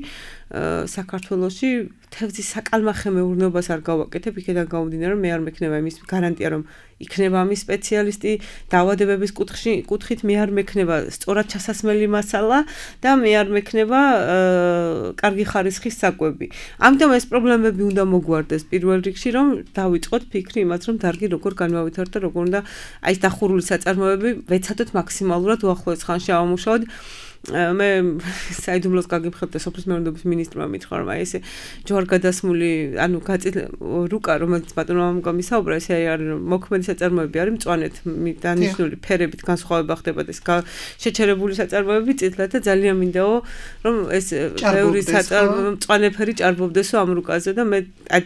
საქართველოში თევზის საკალმახე მეურნეობას არ გავაკეთებ, იქიდან გამომდინარე რომ მე არ მექნება იმის გარანტია რომ იქნება ამის სპეციალისტი დაავადებების კუთხში, კუთხით მე არ მექნება სწორად ჩასასმელი მასალა და მე არ მექნება კარგი ხარისხის საკვები. ამიტომ ეს პრობლემები უნდა მოგვარდეს პირველ რიგში, რომ დავიწყოთ ფიქრი იმას, რომ დარგი როგორ განვავითაროთ და როგორ უნდა აი ეს დახურული საწარმოები ვეცადოთ მაქსიმალურად უახლოეს ხანში ავამუშავოთ. მე საიდუმლოს გაგიმხელდა სოფლის მეურნეობის მინისტრმა მითხრა რომ აი ესე ჯوار გადასმული ანუ გაწილ რუკა რომელიც ბატონო გამისაუბრა ესე არის რომ მოქმედი საწარმოები არის მწვანეთ დანიშნული ფერებით განსხვავება ხდება და ეს შეჩერებული საწარმოები წითლად და ძალიან მინდაო რომ ეს ბევრი მწვანე ფერი ჭარბობდესო ამ რუკაზე და მე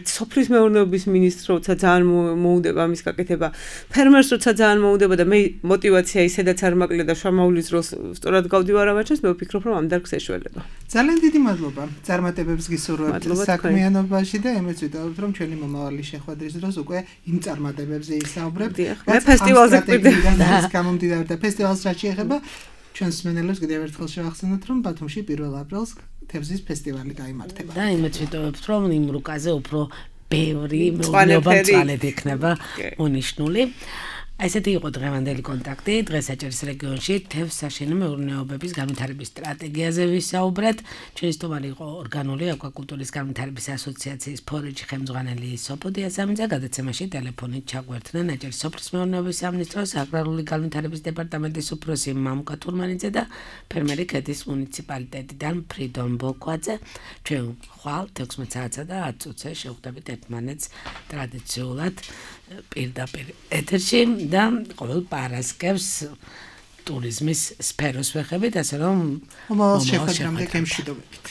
სოფლის მეურნეობის მინისტრს როცა ძალიან მოუდება ამის გაკეთება ფერმერს როცა ძალიან მოუდება და მე мотиваცია ისედაც არ მაკლია და შამაულის დროს სწორად გავდივარ ამაჩას მე ვფიქრობ რომ ამ დარგს ეშველება ძალიან დიდი მადლობა წარმატებებს გისურვებთ საქმიანობაში და იმეც ვიტყობთ რომ ჩვენი მომავალი შეხვედრის დროს უკვე იმ წარმატებებზე ისაუბრებთ მე ფესტივალზე გვიდეთ გამომდიდარ და ფესტივალს რაც შეეხება ჩვენს მსმენელებს კიდევ ერთხელ შევახსენოთ რომ ბათუმში პირველ აპრილს თევზის ფესტივალი გაიმართება და იმეც ვიტყობთ რომ იმ რუკაზე უფრო ბევრი მეურნეობა წვალედ იქნება უნიშნული ესეთი იყო დღევანდელი კონტაქტი დღეს აჭარის რეგიონში თევზ საშენი მეურნეობების განვითარების სტრატეგიაზე ვისაუბრეთ ჩვენი სტუმარი იყო ორგანული აკვაკულტურის განვითარების ასოციაციის ფორეჯი ხელმძღვანელი სოფოდია სამიძე გადაცემაში ტელეფონით ჩაგვერთდნენ აჭარის სოფლის მეურნეობის სამინისტროს აგრარული განვითარების დეპარტამენტის უფროსი მამუკა თურმანიძე და ფერმერი ქედის მუნიციპალიტეტიდან ფრიდონ ბოკვაძე ჩვენ ხვალ თექვსმეტ საათსა და ათ წუთზე შევხვდებით ერთმანეთს ტრადიციულად პირდაპირ ეთერში და ყოველ პარასკევს ტურიზმის სფეროს ვეხებით, ასე რომ მომავალ შეხვედრამდე გემშვიდობებით.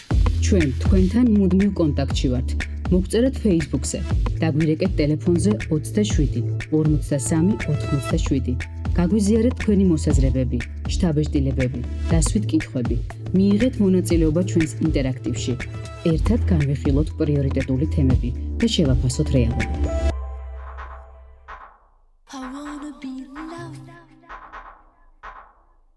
ჩვენ თქვენთან მუდმივ კონტაქტში ვართ. მოგწერეთ Facebook-ზე, დაგვირეკეთ ტელეფონზე ოცდაშვიდი ორმოცდასამი ოთხმოცდაშვიდი. გაგვიზიარეთ თქვენი მოსაზრებები, შთაბეჭდილებები, დასვით კითხვები. მიიღეთ მონაწილეობა ჩვენს ინტერაქტივში. ერთად განვიხილოთ პრიორიტეტული თემები და შევაფასოთ რეალობა.